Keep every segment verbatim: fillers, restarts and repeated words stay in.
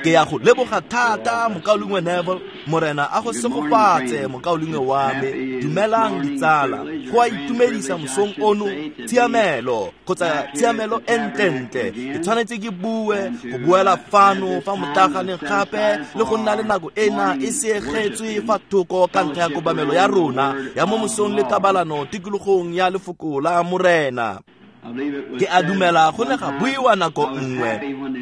Ke ya go leboga thata mokaulengwe Neville, Morena a go segofatse mokaulengwe wa me. Dumelang ditsala, go a itumedisa mosong ono tshiamelo kgotsa tshiamelo e ntlentle. Ke tshwanetse ke bue go buela fano fa motlaganeng gape le go nna le nako ena e seegetswe fa thoko ka ntlha ya kobamelo ya rona ya mo mosong le kabalano tikologong ya lefoko la Morena. Ke a dumela go ne ga buiwa nako nngwe.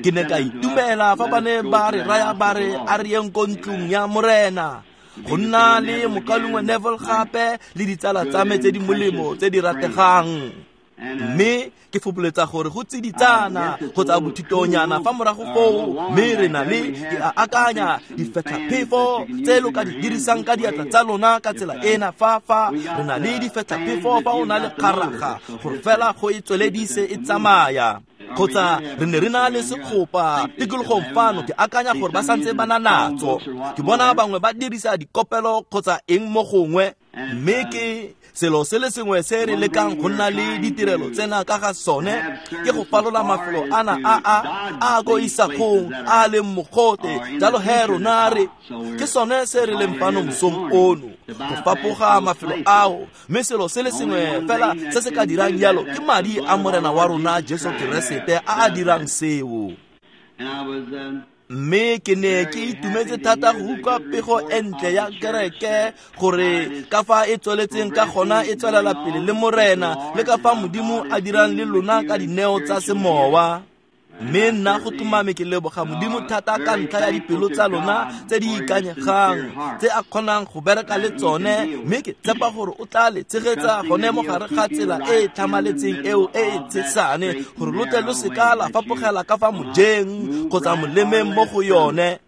Ke ne ka itumela fa ba ne ba re raya ba re a re yeng ko ntlong ya Morena. Go nna le mokaulengwe Neville gape le ditsala tsa me tse di molemo tse di rategang. Mme ke fopoletsa gore go tsiditsana kgotsa bothitonyana fa morago foo, mme re na le ke a akanya difetlhaphefo tse lo ka di dirisang ka diatla tsa lona ka tsela ena fa fa re na le difetlhaphefo fa o na le kgaraga gore fela go e tsweledise e tsamaya. Kgotsa re ne re na le sekgopa tikologong fano, ke akanya gore ba santse ba na natso. Ke bona bangwe ba dirisa dikopelo kgotsa eng mo gongwe, mme ke selo se le sengwe se re lekang go nna le ditirelo tsena ka ga sone ke go falola mafelo ana a a a ko isagong a leng mogote. Jalo he rona re ke sone se re leng fano mosong ono, go fapoga mafelo ao, mme selo se le sengwe fela se se ka dirang jalo ke madi a Morena wa rona Jesu Keresete a a dirang seo. Mme ke ne ke itumetse thata go utlwa pego e ntle ya kereke gore ka fa e tsweletseng ka gona e tswelela pele le Morena, le ka fa Modimo a dirang le lona ka dineo tsa semowa. Mme nna go tlhomame ke leboga Modimo thata ka ntlha ya dipelo tsa lona tse di ikanyegang tse a kgonang go bereka le tsone, mme ke tshepa gore o tla le tshegetsa gone mo gare ga tsela e e tlhamaletseng eo e e tshesane, gore lo tle lo seka la fapogela ka fa mojeng kgotsa molemeng mo go yone.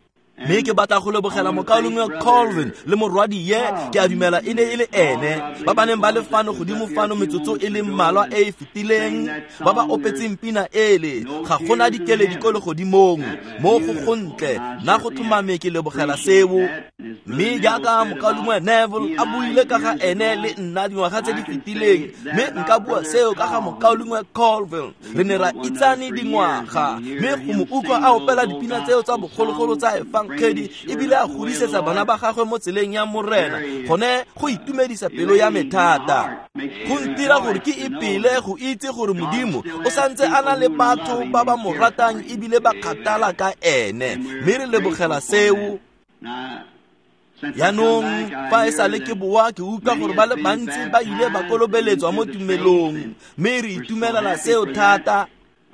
Mme ke batla go lebogela mokaulengwe Colvin le morwadie, ke a dumela e ne e le ene, ba ba neng ba le fano godimo fano metsotso e le mmalwa e e fetileng, ba ba opetseng pina ele ga gona dikeledi ko legodimong mo go gontle. Nna go tlhomame ke lebogela seo. Mme jaaka mokaulengwe Neville a buile ka ga ene le nna dingwaga tse di fetileng, mme nka bua seo ka ga mokaulengwe Colvin. Re ne ra itsane dingwaga, mme go mo utlwa a opela dipina tseo tsa bogologolo tsa efangedi ebile a godisetsa bana ba gagwe mo tseleng ya Morena, gone go itumedisa pelo ya me thata. Go ntira gore ke ipele go itse gore Modimo o santse a na le batho ba ba mo ratang ebile ba kgathala ka ene, mme re lebogela seo. Jaanong fa e sale ke boa ke utlwa gore ba le bantsi ba ile ba kolobeletswa mo tumelong, mme re itumelela seo thata.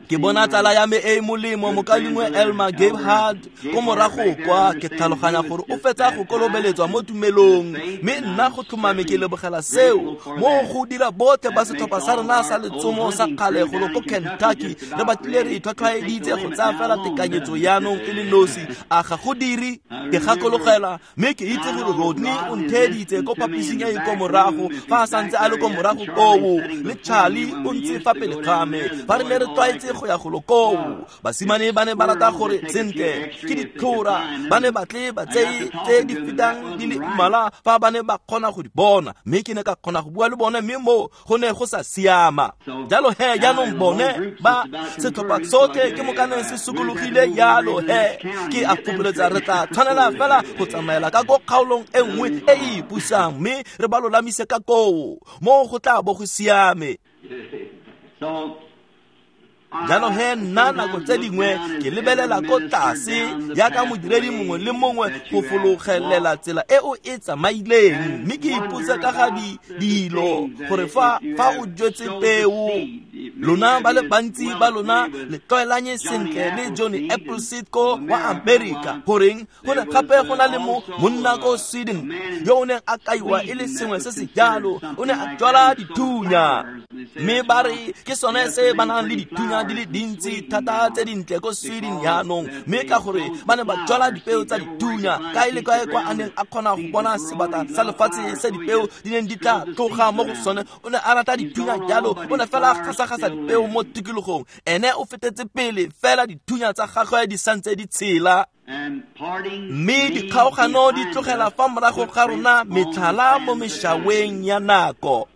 Ke bona tsala ya me e e molemo mokaulengwe Elmer Gebhard ko morago kwa, ke tlhaloganya gore o fetsa go kolobeletswa mo tumelong, mme nna go tlhomame ke lebogela seo. Mo go dira botlhe ba setlhopha sa rona sa letsomo sa kgale golo ko Kentucky re batlile re itlhwatlhwaeditse go tsaya fela tekanyetso jaanong e le nosi, a ga go dire. Ke gakologela mme ke itse gore Rodney o ntheeditse ko phaposing e e ko morago fa a santse a le ko morago koo, le Charlie o ntse fa pele ga me fa re ne re tlwaetse go ya golo koo. Basimane ba ne ba rata gore sentle ke ditlhora, ba ne batle ba tseye tse di fetang di le mmalwa fa ba ne ba kgona go di bona, mme ke ne ka kgona go bua le bone, mme mo go ne go sa siama. Jalo he jaanong bone ba setlhopha sotlhe ke mokaneng se sokologile jalo he ke a fopoletsa re tla tshwanela fela go tsamaela ka ko kgaolong e nngwe e e ipusang, mme re ba lolamise ka koo mo go tla bo go siame. Jalo he nna nako tse dingwe ke lebelela ko tlase jaaka modiredi mongwe le mongwe go fologelela tsela e o e tsamaileng, mme ke ipotse ka ga dilo gore fa fa o jetse peo. Lona ba le bantsi ba lona le tlwaelanye sentle le Johnny Appleseed ko wa America, goreng go ne gape go na le mo monna ko Sweden yo o neng a kaiwa e le sengwe se se jalo, o ne a jwala dithunya, mme ba re ke sone se ba nang le dithunya di le dintsi thata tse dintle ko Sweden jaanong, mme ka gore ba ne ba jwala dipeo tsa dithunya kae le kae kwa a neng a kgona go bona sebata sa lefatshe se dipeo di neng di tla tloga mo go sone. O ne a rata dithunya jalo, o ne fela a gasa-gasa dipeo mo tikologong, ene o fetetse pele fela dithunya tsa gagwe di santse di tshela. Mme dikgaogano di tlogela fa morago ga rona metlhala mo mešaweng ya nako.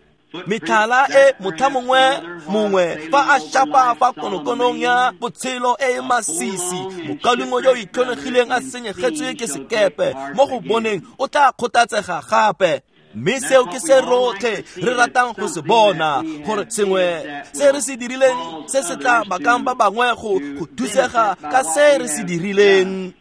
Metlhala e motlha mongwe mongwe fa a shapa fa konokonong ya botshelo e e masisi, mokaulengwe yo o itlhonegileng a senyegetswe ke sekepe mo go boneng o tla kgothatsega gape. Mme seo ke se rotlhe re ratang go se bona, gore sengwe se re se dirileng se se tla bakang ba bangwe go go thusega ka se re se dirileng.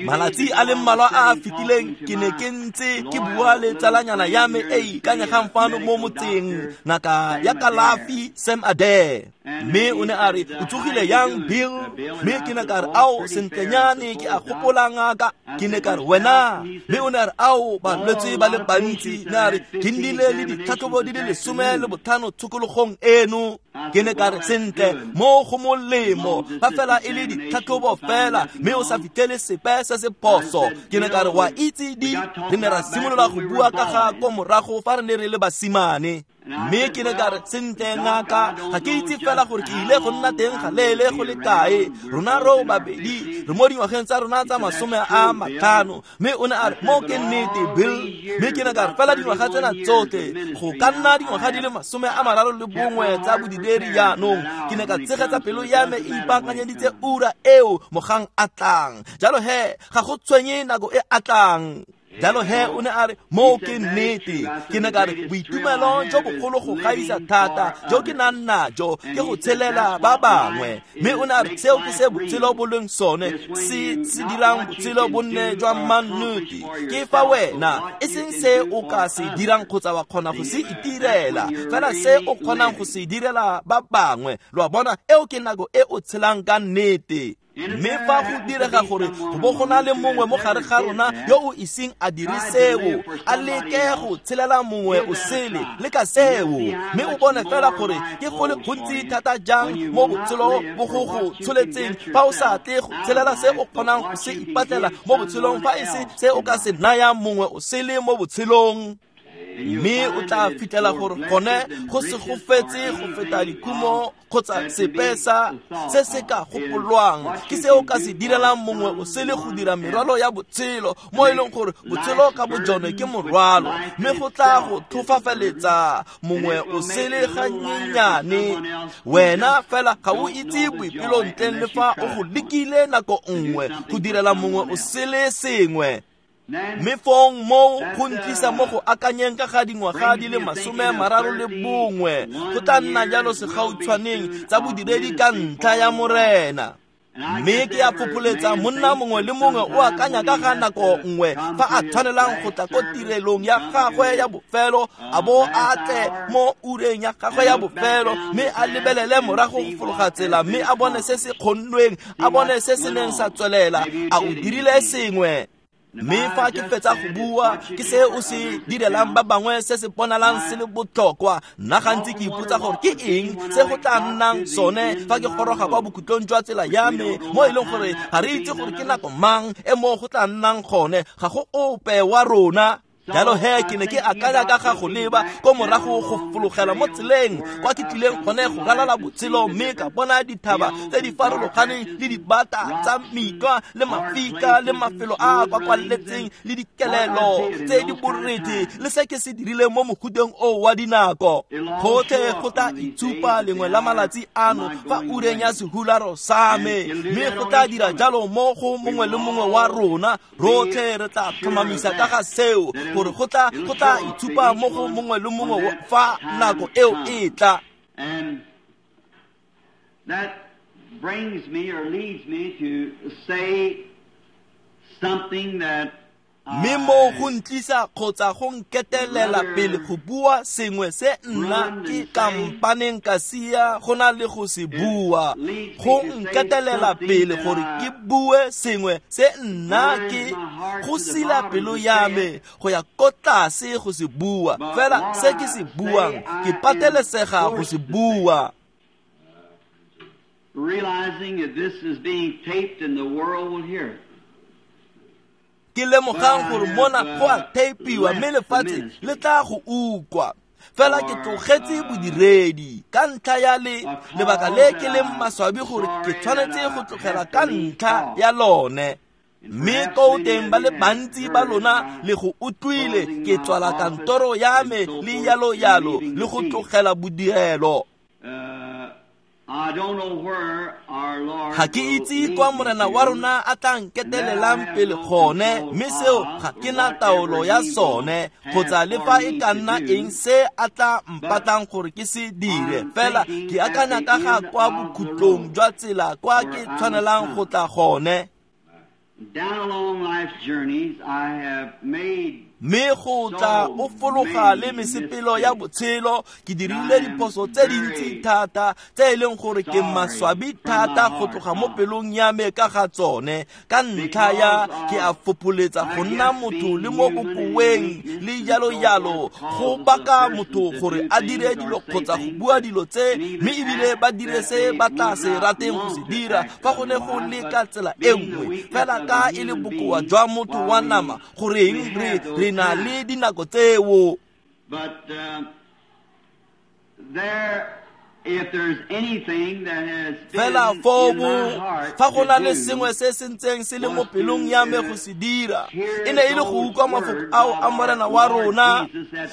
Malatsi a le mmalwa a a fetileng ke ne ke ntse ke bua le tsalanyana ya me e ikanyegang fano mo motseng, ngaka ya kalafi Sam Adair. Mme o ne a re, o tsogile yang Bill? Mme ke ne ka re, ao sentlenyane ke a gopola ngaka. Ke ne ka re, wena? Mme o ne a re, ao balwetse ba le bantsi. Ne a re, ke nnile le ditlhatlhobo di le lesome le botlhano tshokologong eno. Ke ne ka re, sentle mo go molemo fa fela e le ditlhatlhobo fela mme o sa fitlhele sepe se se phoso. Ke ne ka re, wa itse di re ne ra simolola go bua ka ga ko morago fa re ne re le basimane. Mme ke ne ka re, sentle ngaka, ga ke itse fela gore ke ile go nna teng ga leele go le kae. Rona ro babedi re mo dingwageng tsa rona tsa masome a matlhano. Mme o ne a re, mo ke nnete Bill. Mme ke ne ka re, fela dingwaga tsena tsotlhe go ka nna dingwaga di le masome a mararo le bongwe tsa bodideri jaanong. Ke ne ka tshegetsa pelo ya me e ipaakanyeditse ura eo mogang a tlang. Jalo he ga go tshwenye nako e a tlang. Jalo he o ne a re, mo ke nnete. Ke ne ka re, boitumelo jo bogolo go gaisa thata jo ke nang najo ke go tshelela ba bangwe. Mme o ne a re, seo ke se botshelo bo leng sone, se se dirang botshelo bo nne jwa mannete. Ke fa wena e seng se o ka se dirang kgotsa wa kgona go se itirela, fela se o kgonang go se direla ba bangwe. Lo a bona, eo ke nako e o tshelang ka nnete. Mme fa go direga gore go bo go na le mongwe mo gare ga rona yo o iseng a dire seo, a leke go tshelela mongwe o sele le ka seo, mme o bone fela gore ke go le gontsi thata jang mo botshelo bo go go tsholetseng fa o sa tle go tshelela se o kgonang go se ipatlela mo botshelong, fa e se se o ka se nayang mongwe o sele mo botshelong. Mme o tla fitlhela gore gone go se go fetse go feta dikhumo kgotsa sepe sa se se ka gopolwang ke se o ka se direlang mongwe o sele go dira merwalo ya botshelo, mo e leng gore botshelo ka bojone ke morwalo, mme go tla go thofafaletsa mongwe o sele ganyenyane. Wena fela ga o itse boipelo ntleng le fa o go lekile nako nngwe go direla mongwe o sele sengwe. Mme fong moo go ntlisa mo go akanyeng ka ga dingwaga di le masome mararo le bongwe go tla nna jalo segautshwaneng tsa bodiredi ka ntlha ya Morena. Mme ke a fopholetsa monna mongwe le mongwe o akanya ka ga nako nngwe fa a tshwanelang go tla ko tirelong ya gagwe ya bofelo, a bo a tle mo ureng ya gagwe ya bofelo, mme a lebelele morago go fologa tsela, mme a bone se se kgonnweng, a bone se se neng sa tswelela, a o dirile sengwe. Mme fa ke fetsa go bua ke se o se direlang ba bangwe se se bonalang se le botlhokwa, nna gantsi ke ipotsa gore ke eng se go tla nnang sone fa ke goroga kwa bokhutlong jwa tsela ya me, mo e leng gore ga re itse gore ke nako mang e mo go tla nnang gone, ga go ope wa rona. Jalo he ke ne ke akanya ka ga go leba ko morago go fologela mo tseleng kwa ke tlileng gone go ralala botshelo, mme ka bona dithaba tse di farologaneng le dibata tsa mitlwa le mafika le mafelo a a kwakwaletseng le dikelelo tse di borethe le se ke se dirileng mo moguteng oo wa dinako. Gotlhe go tla itshupa lengwe la malatsi ano fa ureng ya sehularo sa me, mme go tla dira jalo mo go mongwe le mongwe wa rona. Rotlhe re tla tlhomamisa ka ga seo gore go tla go tla itshupa mo go mongwe le mongwe fa nako eo e tla. And that brings me or leads me to say something that Mme mo go ntlisa kgotsa go nketelela pele go bua sengwe se nna ke kampaneng ka sia go na le go se bua, go nketelela pele gore ke bue sengwe se nna ke go sila pelo ya me go ya ko tlase go se bua, fela se ke se buang ke patelesega go se bua. Realizing that this is being taped and the world will hear it. Ke lemogang gore mona go a teipiwa mme lefatshe le tla go utlwa. Fela ke tlogetse bodiredi ka ntlha ya le lebaka le ke leng maswabi gore ke tshwanetse go tlogela ka ntlha ya lone. Mme ko teng ba le bantsi ba lona le go utlwile ke tswala kantoro ya me le yalo yalo le go tlogela bodirelo. Ga ke itse kwa morena wa rona a tla nketelelang pele gone, mme seo ga ke na taolo ya sone kgotsa le fa e ka nna eng se a tla mpatlang gore ke se dire. Fela ke akanya ka ga kwa bokhutlong jwa tsela kwa ke tshwanelang go tla gone. Mme go tla o fologa le mesepelo ya botshelo, ke dirile diphoso tse dintsi thata tse e leng gore ke maswabi thata go tloga mo pelong ya me ka ga tsone. Ka ntlha ya ke a fopholetsa go nna motho le mo bokoweng le jalo jalo, go baka motho gore a dire dilo kgotsa go bua dilo tse, mme ebile ba dire se ba tla se rateng go se dira fa go ne go le ka tsela e nngwe. Fela ka e le bokoa jwa motho wa nama, goreng re re na le dinako tseo. But uh, there, if there's anything that has fela been foo in my heart fa go na to le do, sengwe se se ntseng se le mo pelong ya me go se dira, e ne e le go utlwa mafoko ao a morena wa rona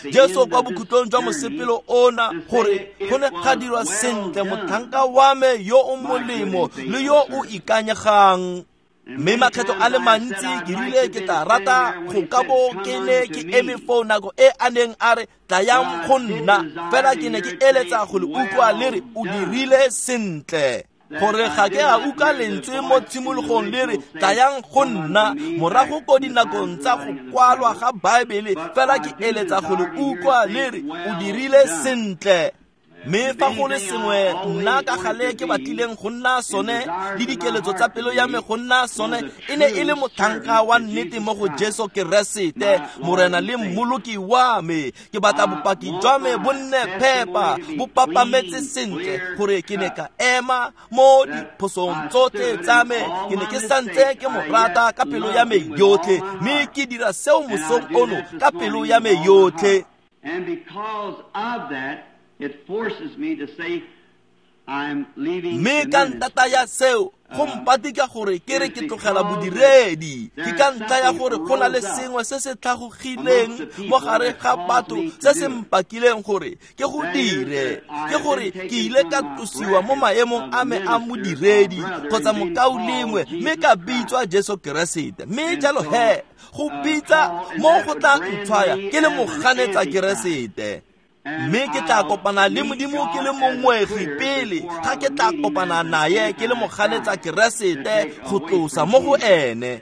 Jesu kwa bokhutlong jwa mosepelo ona, gore go ne ga dirwa sentle motlhanka wa me yo o molemo le yo o ikanyegang. Mme makgetho a le mantsi ke rile ke tla rata go ka bo ke ne ke eme foo nako e a neng a re tlayang go nna, fela ke ne ke eletsa go le utlwa le re o dirile sentle. Gore ga ke a utlwa lentswe mo tshimologong le re tlayang go nna morago ko dinakong tsa go kwalwa ga Baebele, fela ke eletsa go le utlwa le re o dirile sentle. Mme fa go le sengwe nna ka gale ke batlileng go nna sone le dikeletso tsa pelo ya me go nna sone, e ne e le motlhanka wa nnete mo go Jesu Keresete morena le mmoloki wa me. Ke batla bopaki jwa me bo nne phepa, bo papametse sentle, gore ke ne ka ema mo diphosong tsotlhe tsa me, ke ne ke santse ke mo rata ka pelo ya me yotlhe, mme ke dira seo mosong ono ka pelo ya me yotlhe. And because of that, it forces me to say I'm leaving Mme the ka ministry. ntata ya seo go mpatika gore ke re ke tlogela bodiredi, ke ka ntlha ya gore go na le sengwe se se tlhagogileng mo gare ga batho se se mpakileng gore ke go dire, ke gore ke ile ka tlosiwa mo maemong a me a modiredi kgotsa mokaulengwe, mme ka bitswa Jesu Keresete. Mme jalo he go bitsa mo go tla ntshwaya ke le moganetsa Keresete. Mme ke tla kopana le Modimo ke le mongwegi pele ga ke tla kopana naye ke le moganetsa Keresete go tlosa mo go ene.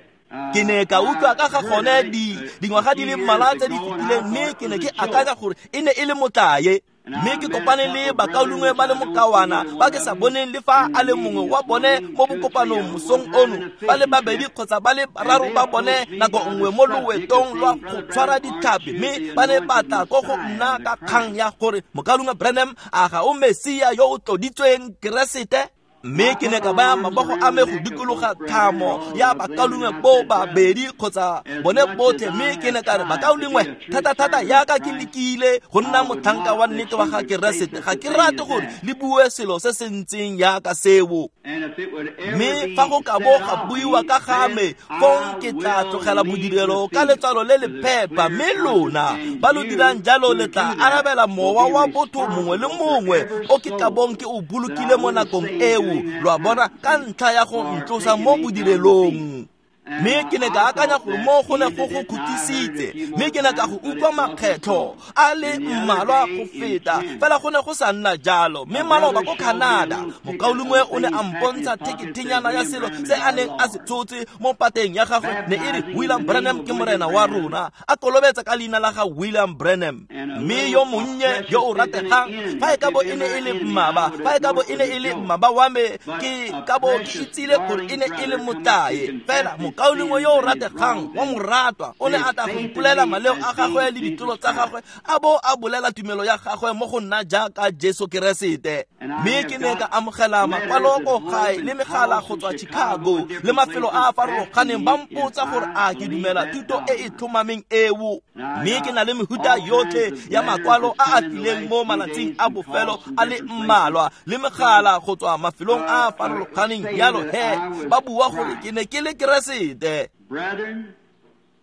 Ke ne ka utlwa ka ga gone di dingwaga di le mmalwa tse di fetileng, mme ke ne ke akanya gore e ne e le motlae. Mme ke kopane le bakaulengwe ba le mokawana ba ke sa boneng le fa a le mongwe wa bone mo bokopanong mosong ono, ba le babedi kgotsa ba le bararo ba bone nako nngwe mo loetong lwa go tshwara ditlhapi, mme ba ne ba tla ko go nna ka kgang ya gore mokaulengwe Branham a ga o Mesia yo o tloditsweng Keresete. Mme ke ne ka baya mabogo a me go dikologa thamo ya bakaulengwe bo babedi kgotsa bone botlhe, mme ke ne ka re bakaulengwe thata-thata yaka ke lekile go nna motlhanka wa nnete wa ga Keresete, ga ke rate gore le bue selo se se ntseng yaka seo. Mme fa go ka bo ga buiwa ka ga me, fong ke tla tlogela bodirelo ka letswalo le le phepa, mme lona ba lo dirang jalo le tla arabela mowa wa botho mongwe le mongwe o ke tla bong ke o bolokile mo nakong eo, lo a bona, ka ntlha ya go ntlosa mo bodirelong. Mme ke ne ka akanya gore mo go ne go go khutisitse, mme ke ne ka go utlwa makgetlho a le mmalwa go feta, fela go ne go sa nna jalo. Mme maloba ko Canada, mokaulengwe o ne a mpontsha thekethenyana ya selo se a neng a se tshotse mo pateng ya gagwe, ne e re William Branham ke morena wa rona, a kolobetsa ka leina la ga William Branham. Mme yo monnye yo o rategang, fa e ka bo e ne e le mmaba, fa e ka bo e ne e le mmaba wa me, ke ka bo ke itsile gore e ne e le motlae. Fela mokaulengwe yo o rategang wa moratwa o ne a tla go ipolela maleo a gagwe le ditlolo tsa gagwe, a bo a bolela tumelo ya gagwe mo go nna jaaka Jesu Keresete. Mme ke ne ka amogela makwalo ko gae le megala go tswa Chicago le mafelo a a farologaneng, ba mpotsa gore a ke dumela thuto e e tlhomameng eo. Mme ke na le mehuta yotlhe ya makwalo a a tlileng mo malatsing a bofelo a le mmalwa le megala go tswa mafelong a a farologaneng, jalo he ba bua gore ke ne ke le Keresete.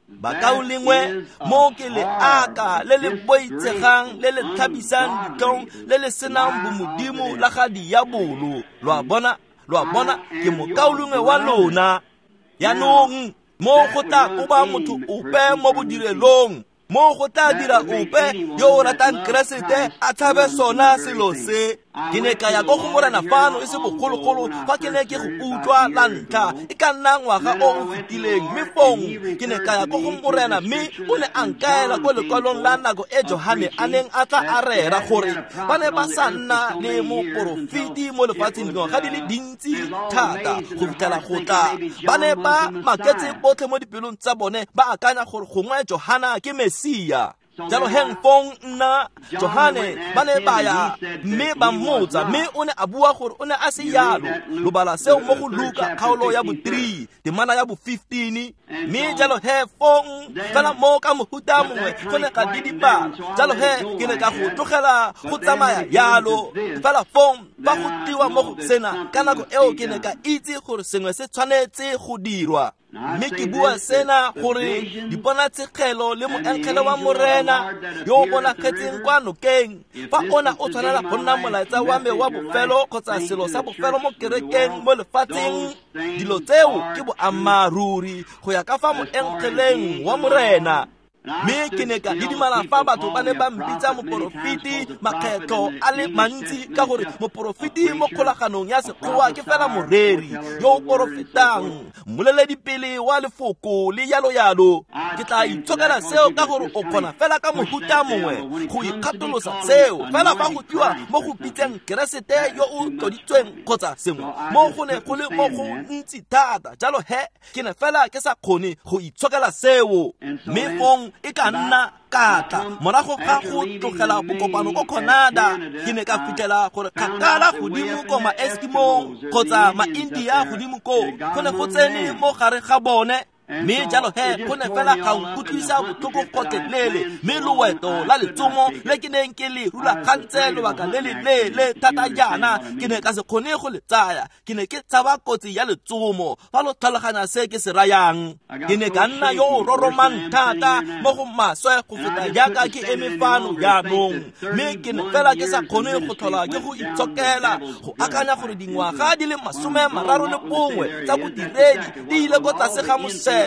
Bakaulengwe, mo ke leaka le le boitshegang le le tlhabisang ditlhong le le senang bomodimo la ga diabolo. Lo a bona, lo a bona, ke mokaulengwe wa lona. Jaanong mo go tla koba motho ope mo bodirelong, mo go tla dira ope yo o ratang Keresete a tshabe sona selo se. Ke ne ka ya ko go Morena fano e se bogologolo fa ke ne ke go utlwa la ntlha, e ka nna ngwaga o o fetileng, mme fong ke ne ka ya ko go Morena mme o ne a nkaela ko lekwalong la nako e Johane a neng a tla a rera gore ba ne ba sa nna le moporofeti mo lefatsheng dingwaga di le dintsi thata go fitlhela go tla. Ba ne ba maketse botlhe mo dipelong tsa bone, ba akanya gore gongwe Johana ke Mesia. Jalo heng fong nna Johane ba ne ba ya mme ba mmotsa, mme o ne a bua gore o ne a se yalo. Lo bala seo mo go Luka kgaolo ya bo three temana ya bo fifteen. Mme jalo he fong fela mo ka mohuta mongwe go ne ga didibala. Jalo he ke ne ka go tlogela go tsamaya yalo. Fela fong fa go tliwa mo go sena ka nako eo ke ne ka itse gore sengwe se tshwanetse go dirwa. Mme ke bua sena gore diponatshegelo le moengele wa Morena yo o bonagetseng kwa nokeng, fa ona o tshwanela go nna molaetsa wa me wa bofelo kgotsa selo sa bofelo mo kerekeng mo lefatsheng, dilo tseo ke boammaaruri go ya ka fa moengeleng wa Morena. Mme ke ne ka didimala fa batho ba ne ba mpitsa moporofeti makgetlho a le mantsi, ka gore moporofeti mo kgolaganong ya Sekgowa ke fela moreri yo o porofetang, mmoleledipele wa lefoko le yalo yalo. Ke tla itshokela seo ka gore o kgona fela ka mohuta mongwe go ikgatolosa seo, fela fa go tliwa mo go bitseng Keresete yo o tloditsweng kgotsa sengwe mo go ne go le mo go ntsi thata. Jalo he ke ne fela ke sa kgone go itshokela seo. Mme fong e ka nna ka tla morago ga go tlogela bokopano ko Canada, ke ne ka fitlhela gore kgakala godimo ko ma-Eskimo kgotsa ma-India godimo koo go ne go tsene mo gare ga bone. Mme jalo he go ne fela ga nkutlwisa botlhoko gotlhelele, mme loeto la letsomo le ke neng ke le rulagantse lobaka le le leele thata jaana ke ne ka se kgone go le tsaya. Ke ne ke tshaba kotsi ya letsomo, fa lo tlhaloganya se ke se rayang. Ke ne ka nna yo o roromang thata mo go maswe go feta jaaka ke eme fano jaanong, mme ke ne fela ke sa kgone go tlhola ke go itshokela go akanya gore dingwaga di le masome mararo le bongwe tsa bodiredi di ile ko tlase ga mosele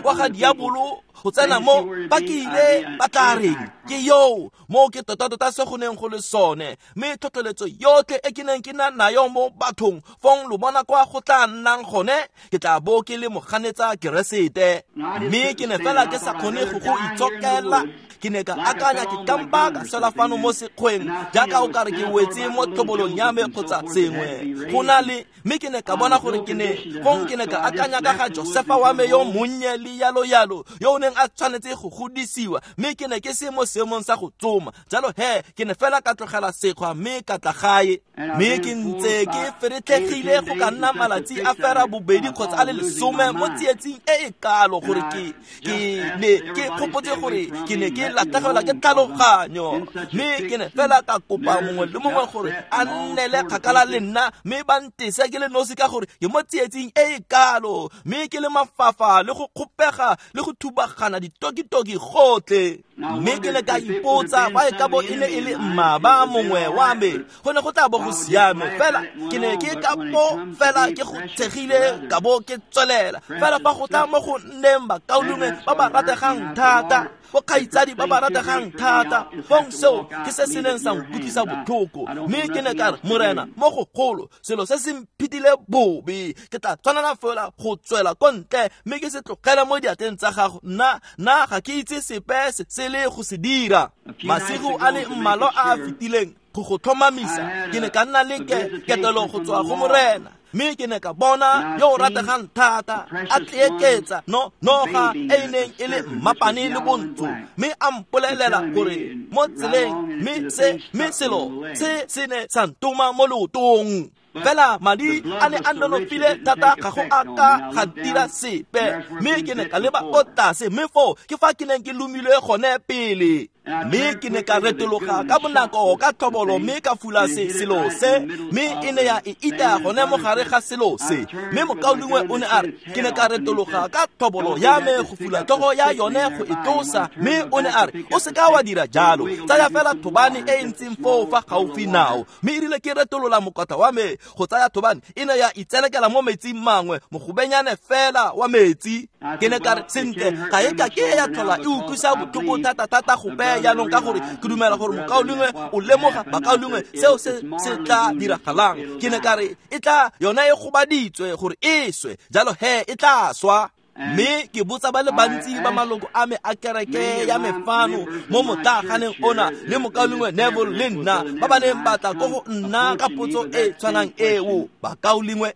wa ga diabolo go tsena mo ba ke ile ba tla reng ke yo mo ke tota-tota se go neng go le sone. Mme tlhotlheletso yotlhe e ke neng ke na nayo mo bathong, fong lo bona kwa go tla nnang gone, ke tla bo ke le moganetsa Keresete. Mme ke ne fela ke sa kgone go go itshokela. Ke ne ka akanya ke kampa ka sela fano mo sekgweng jaaka o kare ke wetse mo tlhobolong ya me kgotsa sengwe go na le. Mme ke ne ka bona gore ke ne fong ke ne ka akanya ka ga Josefa wa me yo monnye le yalo yalo yo o neng a tshwanetse go godisiwa, mme ke ne ke se mo seemong sa go tsoma. Jalo he ke ne fela ka tlogela sekgwa mme ka tla gae. Mme ke ntse ke feretlhegile go ka nna malatsi a fera bobedi kgotsa a le lesome mo tsietsing e e kalo gore ke ke ne ke gopotse gore ke ne ke latlhegelwa ke tlhaloganyo. Mme ke ne fela ka kopa mongwe le mongwe gore a nnele kgakala le nna, mme ba ntese ke le nosi ka gore ke mo tsietsing e e kalo, mme ke le mafafa le go kgopega le go thubagana ditokitoki gotlhe. Mme ke ne ka ipotsa fa e ka bo e ne e le mmaba mongwe wa me go ne go tla bo go siame, fela ke ne ke ka bo fela ke go tshegile ka bo ke tswelela. Fela fa go tla mo go nneng bakaulengwe ba ba rategang thata, bo kgaitsadi ba ba rategang thata, fong seo ke se se neng sa nkutlwisa botlhoko. Mme ke ne ka re, Morena, mo go golo selo se se mphitile bobe, ke tla tshwanela fela go tswela ko ntle mme ke se tlogele mo diatleng tsa gago. Nna nna ga ke itse sepe se se le go se dira. Masigo a le mmalwa a a fetileng go go tlhomamisa, ke ne ka nna le ketelo go tswa go Morena, mme ke ne ka bona yo o rategang thata a tleeketsa no noga e e neng e le mmapane le bontsho, mme a mpolelela gore mo tseleng, mme se mme selo se se ne sa ntoma mo leotong. Fela madi a ne a nonofile thata ga go a ka ga dira sepe, mme ke ne ka leba ko tlase, mme foo ke fa ke neng ke lomilwe gone pele. Mme ke ne ka retologa ka bonako ka tlhobolo mme ka fula se selo se, mme e ne ya e itaya gone mo gare ga selo se. Mme mokaulengwe o ne a re, ke ne ka retologa ka tlhobolo ya me go fula tlhogo ya yone go e tlosa, mme o ne a re, o seka wa dira jalo, tsaya fela thobane e e ntseng foo fa gaufi nao. Mme e rile ke retolola mokotla wa me go tsaya thobane, e ne ya itselekela mo metsing mangwe, mogobenyane fela wa metsi. Ke ne ka re, sentle, ga e ka ke ya tlhola e utlwisa botlhoko thata-thata gope jaanong, ka gore ke dumela gore mokaulengwe o lemoga bakaulengwe seo se se tla diragalang. Ke ne ka re, e tla yona e gobaditswe gore e swe, jalo he e tla swa. Mme ke botsa ba le bantsi ba maloko a me a kereke ya me fano mo motlaaganeng ona le mokaulengwe Neville le nna ba ba neng ba tla ko go nna ka potso e tshwanang eo. Bakaulengwe,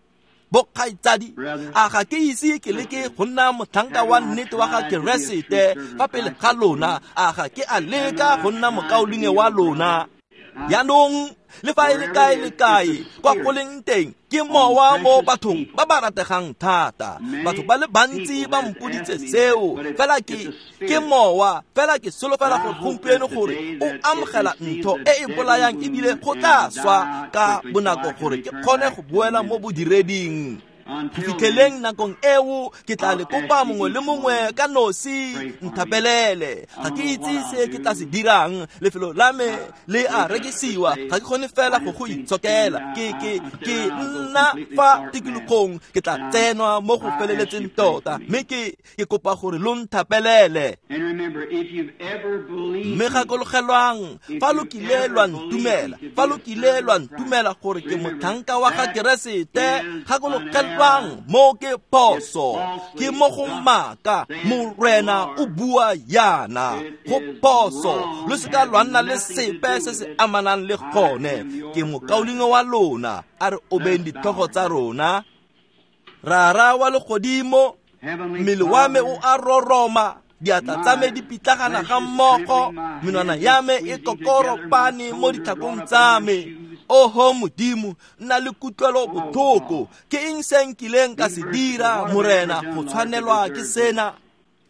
bokgaitsadi, a ga ke ise ke leke go nna motlhanka wa nnete wa ga Keresete fa pele ga lona? A ga ke a leka go nna mokaulengwe wa lona? Jaanong le fa e le kae le kae kwa go leng teng, ke mowa mo bathong ba ba rategang thata. Batho ba le bantsi ba mpoditse seo, fela ke ke mowa, fela ke solofela gore gompieno gore o amogela ntho e e bolayang ebile go tla swa ka bonako gore ke kgone go boela mo bodireding. Go fitlheleng nakong eo, ke tla le kopa mongwe le mongwe ka nosi, nthapelele. Ga ke itse se ke tla se dirang, lefelo la me le a rekisiwa, ga ke kgone fela go go itshokela. Ke ke ke nna fa tikologong, ke tla tsenwa mo go feleletseng tota, mme ke ke kopa gore lo nthapelele. Mme gakologelwang, fa lo kile lwa ntumela, fa lo kile lwa ntumela gore ke motlhanka wa ga Keresete, gakologelwang mo ke phoso, ke mo go maaka. Morena o bua yana, go phoso, lo seka lwa nna le sepe se se amanang le gone. Ke mokaulengwe wa lona, a re obeng ditlhogo tsa rona. Rara wa legodimo, mmele wa me o a roroma, diatla tsa me di pitlagana ga mmogo, menwana ya me e kokoropane mo ditlhakong tsa me. Oho Modimo, nna le kutlwelo botlhoko. Ke eng se nkileng ka se dira, Morena, go tshwanelwa ke sena?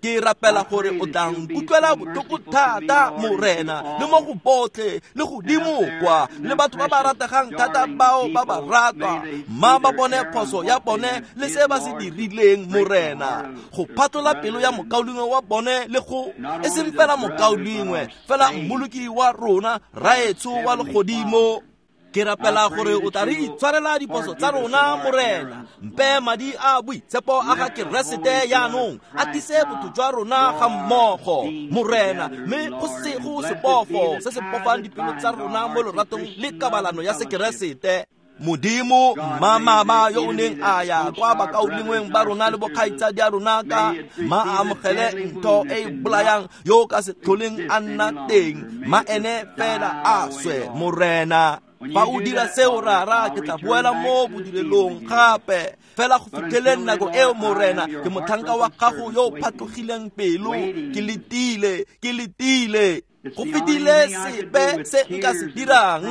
Ke rapela gore o tla nkutlwela botlhoko thata, Morena, le mo go botlhe, le godimo kwa, le batho ba ba rategang thata bao ba ba ratwa, mma ba bone phoso ya bone le se ba se dirileng, Morena, go phatlola pelo ya mokaulengwe wa bone le go e seng fela mokaulengwe, fela mmoloki wa rona, Rraetsho wa legodimo. Ke rapela gore o tla re itshwarela diphoso tsa rona, Morena. Mpe madi a boitshepo a ga Keresete jaanong a tlise botho jwa rona ga mmogo, Morena, mme go se go sebofo se se bofang dipelo tsa rona mo loratong le kabalano ya sekeresete. Modimo, mmamama yo o neng a ya kwa bakaulengweng ba rona le bokgaitsadi a rona ka ma amogele ntho e e bolayang yo ka se tlholeng a nna teng, ma ene fela a swe, Morena. Fa o dira seo, Rara, ke tla boela mo bodirelong gape. Fela go fitlheleng nako eo, Morena, ke motlhanka wa gago yo o phatlogileng pelo, ke letile, ke letile. Go fetile sepe se nka se dirang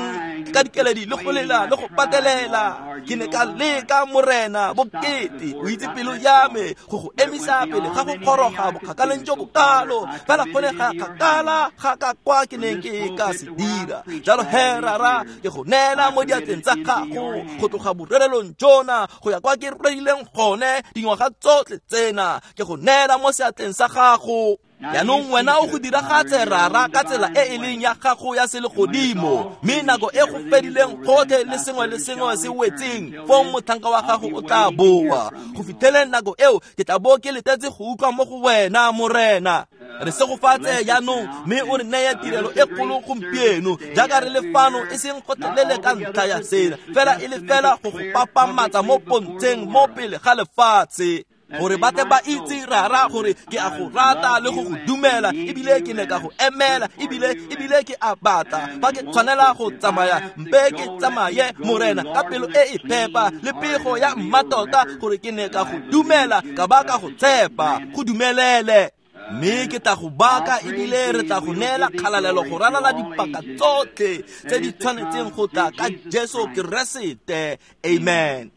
ka dikeledi le go lela le go patelela. Ke ne ka leka, Morena, bokete, o itse pelo ya me, go go emisa pele ga go kgoroga bokgakaleng jo bokalo, fela go ne ga kgakala ga ka kwa ke neng ke ka se dira. Jalo he, Rara, ke go neela mo diatleng tsa gago go tloga borerelong jona go ya kwa ke rerileng gone dingwaga tsotlhe tsena, ke go neela mo seatleng sa gago. Jaanong wena o go diragatse, Rara, ka tsela e e leng ya gago ya selegodimo, mme nako e go fedileng gotlhe le sengwe le sengwe se wetseng, fong motlhanka wa gago o tla boa. Go fitlheleng nako eo, ke tla bo ke letetse go utlwa mo go wena, Morena. Re segofatse jaanong, mme o re neye tirelo e kgolo gompieno, jaaka re le fano, e seng gotlhelele ka ntlha ya sena, fela e le fela go go papamatsa mo pontsheng mo pele ga lefatshe, gore ba tle ba itse, Rara, gore ke a go rata le go go dumela, ebile ke ne ka go emela, ebile ebile ke a batla. Fa ke tshwanela go tsamaya, mpe ke tsamaye, Morena, ka pelo e e phepa le pego ya mmatota, gore ke ne ka go dumela, ka ba ka go tshepa. Go dumelele. Mme ke tla go baka ebile re tla go neela kgalalelo go ralala dipaka tsotlhe tse di tshwanetseng go tla ka Jesu Keresete. Amen.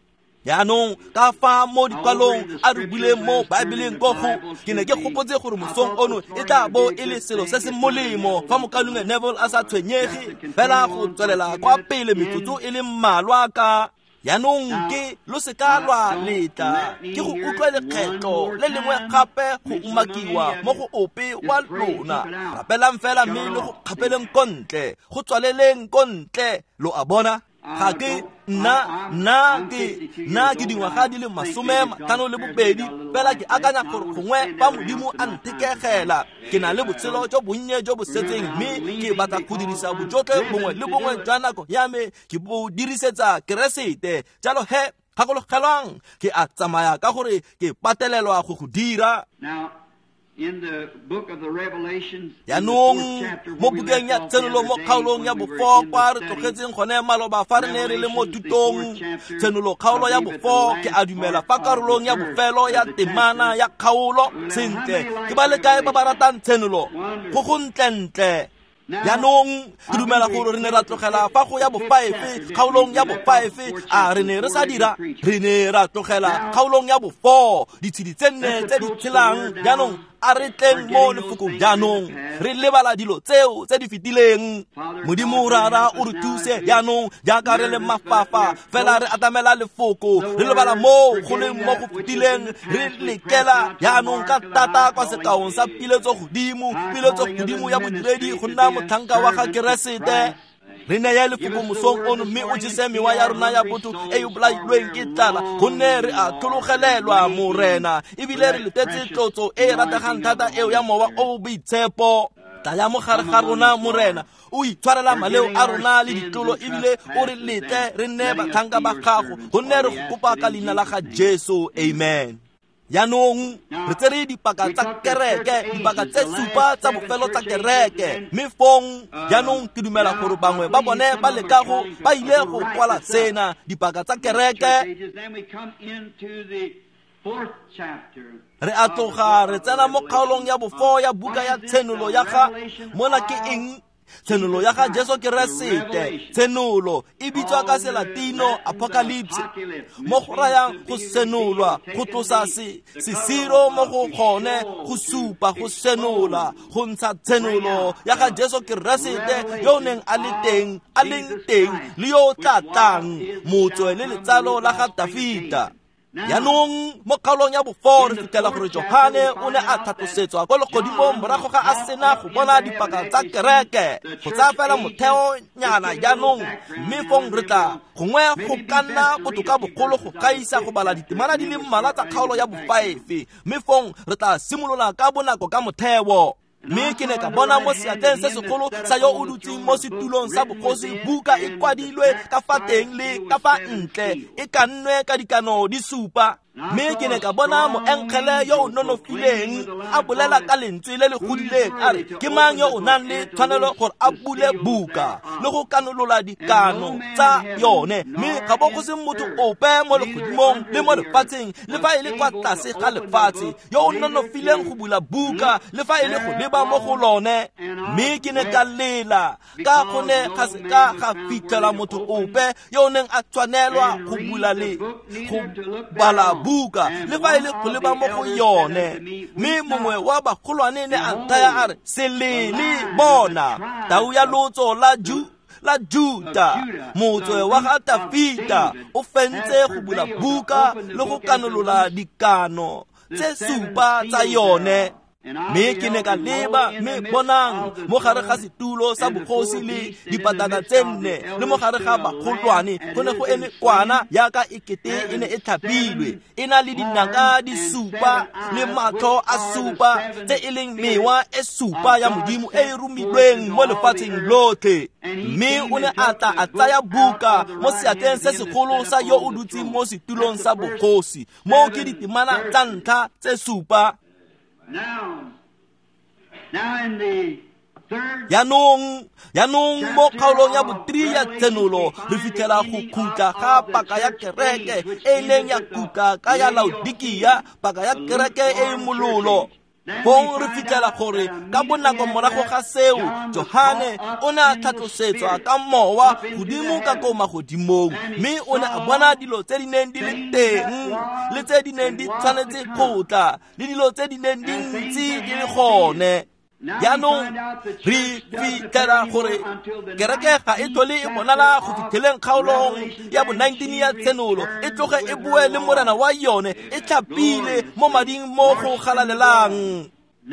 Jaanong ka fa mo dikwalong a re buleng mo Baebeleng ko go ke ne ke gopotse gore mosong ono e tla bo e le selo se se molemo fa mokaulengwe Neville a sa tshwenyege fela go tswelela kwa pele metsotso e le mmalwa ka jaanong ke lo seka lwa letla ke go utlwa lekgetlo le lengwe gape go umakiwa mo go ope wa lona. Rapelang fela mme le go kgapeleng ko ntle, go tswaleleng ko ntle, lo a bona. Ga ke nna nna ke nna ke dingwaga di le masome matlhano le bobedi fela ke akanya gore gongwe fa Modimo a nthekegela ke na le botshelo jo bonnye jo bo setseng mme ke batla go dirisa bojotlhe bongwe le bongwe jwa nako ya me ke bo dirisetsa Keresete. Jalo he gakologelwang ke a tsamaya ka gore ke patelelwa go go dira. Jaanong mo bukeng ya Tshenolo mo kgaolong ya bofo kwa re tlogetseng gone maloba fa re ne re le mo thutong. Tshenolo kgaolo ya bofo ke a dumela fa karolong ya bofelo ya temana ya kgaolo. Sentle, ke ba le kae ba ba ratang Tshenolo? Go go ntlentle. Jaanong ke dumela gore re ne ra tlogela fa go ya bofaefe kgaolong ya bofaefe, a re ne re sa dira, re ne ra tlogela kgaolong ya bofo ditshedi tse nne tse di tshelang. Jaanong a re tleng mo lefokong jaanong re lebala dilo tseo tse di fetileng. Modimo Rara o re thuse jaanong jaaka re le mafafa fela re atamela lefoko, re lebala moo go leng mo go fetileng, re lekela jaanong ka thata kwa sekaong sa piletso godimo, piletso godimo ya bodiredi go nna motlhanka wa ga Keresete. Re neye lefoko mosong ono mme o jese mewa ya rona ya botho e e bolailweng ke tlala, gonne re a tlhologelelwa Morena, ebile re letetse tlotso e e rategang thata eo ya Mowa o o Boitshepo. Tlaya mo gare ga rona Morena, o itshwarela maleo a rona le ditlolo, ebile o re letle re nne batlhanka ba gago, gonne re go kopa ka leina la ga Jesu. Amen. Jaanong re tsere dipaka tsa kereke, dipaka tse supa tsa bofelo tsa kereke, mme fong jaanong ke dumela gore bangwe ba bone ba leka go ba ile go kwala sena dipaka tsa kereke. Re a tloga re tsena mo kgaolong ya bofo ya buka ya Tshenolo ya ga mona ke eng? Tshenolo ya ga Jesu Keresete. Tshenolo e bitswa ka Selatino apocalypse, mo go rayang go senolwa, go tlosa se sesiro mo go gone, go supa, go senola, go ntsha tshenolo ya ga Jesu Keresete yo o neng a le teng, a leng teng le yo o tla tlang, motswe le letsalo la ga Dafita. Jaanong mo kgaolong ya bofo re fitlhela gore Johane o ne a tlhatlosetswa ko legodimong morago ga a sena go bona dipaka tsa kereke, go tsaya fela motheonyana jaanong, mme fong re tla gongwe go ka nna botoka bogolo go gaisa go bala ditemana di le mmalwa tsa kgaolo ya bofaefe, mme fong re tla simolola ka bonako ka motheo. Mme ke ne ka bona mo seatleng se segolo sa yo o dutseng mo setulong sa bogosi buka e kwadilwe ka fa teng le ka fa ntle, e kannwe ka dikano di supa. Mme ke ne ka bona moengele yo o nonofileng a bolela ka lentswe le le godileng a re, ke mang yo o nang le tshwanelo gore a bule buka le go kanolola dikano tsa yone? Mme ga bo go se motho ope mo legodimong le mo lefatsheng le fa e le kwa tlase ga lefatshe yo o nonofileng go bula buka le fa e le go leba mo go lone. Mme ke ne ka lela ka gonne ga se ka ga fitlhela motho ope yo o neng a tshwanelwa go bula le go bala buka le fa e le go leba mo go yone. Mme mongwe wa bagolwane ne a nthaya a re, se lele, bona tau ya lotso la Ju la Juta, motswe wa ga Dafita, o fentse go bula buka le go kanolola dikano tse supa tsa yone. Mme ke ne ka leba, mme bonang mo gare ga setulo sa bogosi le dipatana tse nne le mo gare ga bagolwane go ne go eme kwana yaka e kete e ne e tlhapilwe, e na le dinaka di supa le matlho a supa tse e leng mewa e supa ya Modimo e e romilweng mo lefatsheng lotlhe. Mme o ne a tla a tsaya buka mo seatleng se segolo sa yo o dutseng mo setulong sa bogosi. Moo ke ditemana tsa ntlha tse supa. Jaanong jaanong mo kgaolong ya bothree ya Tshenolo re fitlhela go khutla ga paka ya kereke e e neng ya khutla ka ya Laodikia, paka ya kereke e e mololo. Fong re fitlhela gore ka bonako morago ga seo Johane o ne a tlhatlosetswa ka mowa godimo ka ko magodimong, mme o ne a bona dilo tse di neng di le teng le tse di neng di tshwanetse go tla le dilo tse di neng di ntse di le gone. Jaanong re fitlhela gore kereke ga e tlhole e bonala go fitlheleng kgaolong ya bo nineteen ya Tshenolo, e tloge e boe le morena wa yone e tlhapile mo mading mo go galalelang.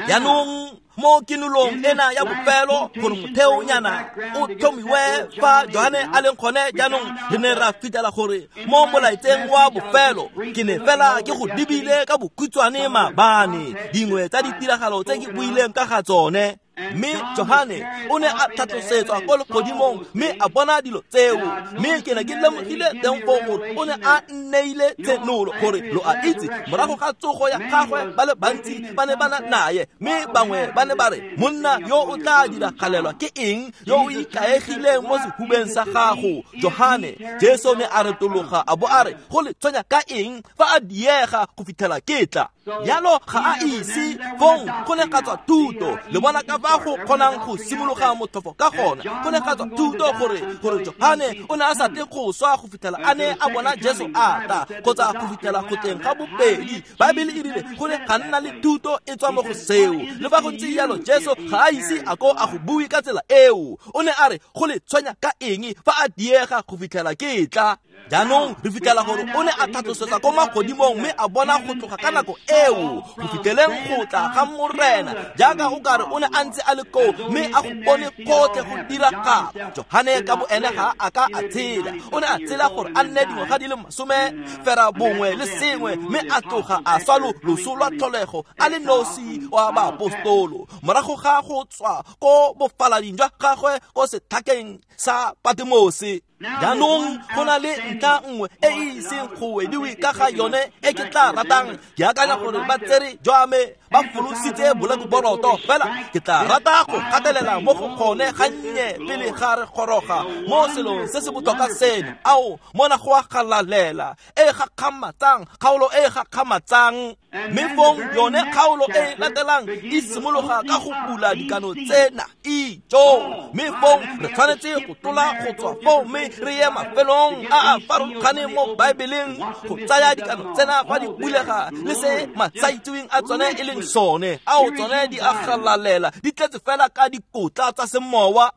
Jaanong mo kinolong ena ya bofelo gore motheonyana o tlhomiwe fa Johane a leng gone, jaanong re ne ra fitlhela gore mo molaetseng wa bofelo ke ne fela ke go lebile ka bokhutshwane maabane dingwe tsa ditiragalo tse ke buileng ka ga tsone. Mme Johane o ne a tlhatlosetswa ko legodimong mme a bona dilo tseo, mme ke ne ke lemogile teng foo gore o ne a nneile tshenolo gore lo a itse morago ga tsogo ya gagwe ba le bantsi ba ne ba na naye, mme bangwe ba ne ba re monna yo o tla diragalelwa ke eng yo o ikaegileng mo sehubeng sa gago Johane. Jesu ne a retologa a bo a re go le tshwenya ka eng fa a diega go fitlhela ke tla. Jalo ga a ise fong go ne ga tswa thuto, le bona ka fa go kgonang go simologa motlhofo ka gona. Go ne ga tswa thuto gore gore Johane o ne a sa tle go swa go fitlhela a ne a bona Jesu a tla kgotsa go fitlhela go tleng ga bobedi. Baebele e rile go ne ga nna le thuto e tswa mo go seo. Le fa go ntse jalo Jesu ga a ise a ko a go bue ka tsela eo. O ne a re go le tshwenya ka eng fa a diega go fitlhela ke tla. Jaanong re fitlhela gore o ne a tlhatlosetsa ko magodimong mme a bona go tloga ka nako eo go fitlheleng go tla ga morena, jaaka o kare o ne a ntse a le koo mme a go bone gotlhe go diragala. Johane ka bo ene ga a ka a tshela, o ne a tshela gore a nne dingwaga di le masome fera bongwe le sengwe mme a tloga a swa loso lwa tlholego a le nosi wa baapostolo morago ga go tswa ko bofalading jwa gagwe ko setlhakeng sa Patmose. Jaanong go na le ntlha nngwe e e iseng go wediwe ka ga yone e ke tla ratang. Ke akanya gore ba tsere jwa me ba folositse bolekuboroto, fela ke tla rata go gatelela mo go gone gannye pele ga re goroga mo selong se se botlhokwa seno. Ao mona go a galalela e gakgamatsang, kgaolo e gakgamatsang. Mme fong yone kgaolo e latelang e simologa ka go bula dikano tsena ijo, mme fong re tshwanetse go tlola go tswa foo mme re ye mafelong a a farologaneng mo Baebeleng go tsaya dikano tsena fa di bulega le se masaitseweng a tsone e leng sone. Ao tsone di a galalela, di tletse fela ka dikotla tsa semowa.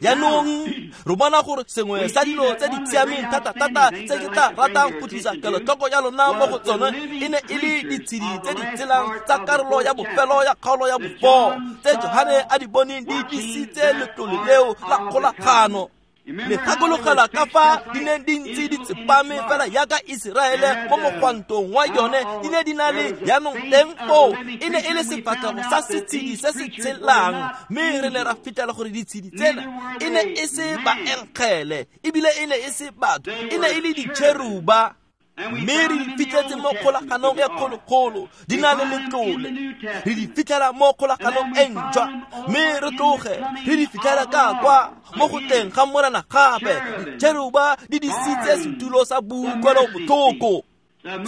Jaanong re bona gore sengwe sa dilo tse di siameng thata-thata tse ke tla ratang go tlisa kelotlhoko ya lona mo go tsone e ne e le ditshedi tse di tshelang tsa karolo ya bofelo ya kgaolo ya bofo tse Johane a di boneng di disitse letlole leo la kgolagano. Le gakologela ka fa di neng di ntse di tsepame fela jaaka Iseraele mo mogwantong wa yone di ne di na le jaanong teng foo e ne e le sefatlhego sa setshedi se se tshelang, mme re ne ra fitlhela gore ditshedi tsena e ne e se baenkgele ebile e ne e se batho, e ne e le ditšheruba. Mme re di fitlhetse mo kgolaganong e kgologolo di na le letlole, re di fitlhela mo kgolaganong e ntšhwa, mme re tloge re di fitlhela ka kwa mo go teng ga morena gape. Ditšheruba di disitse setulo sa boutlwelobotlhoko,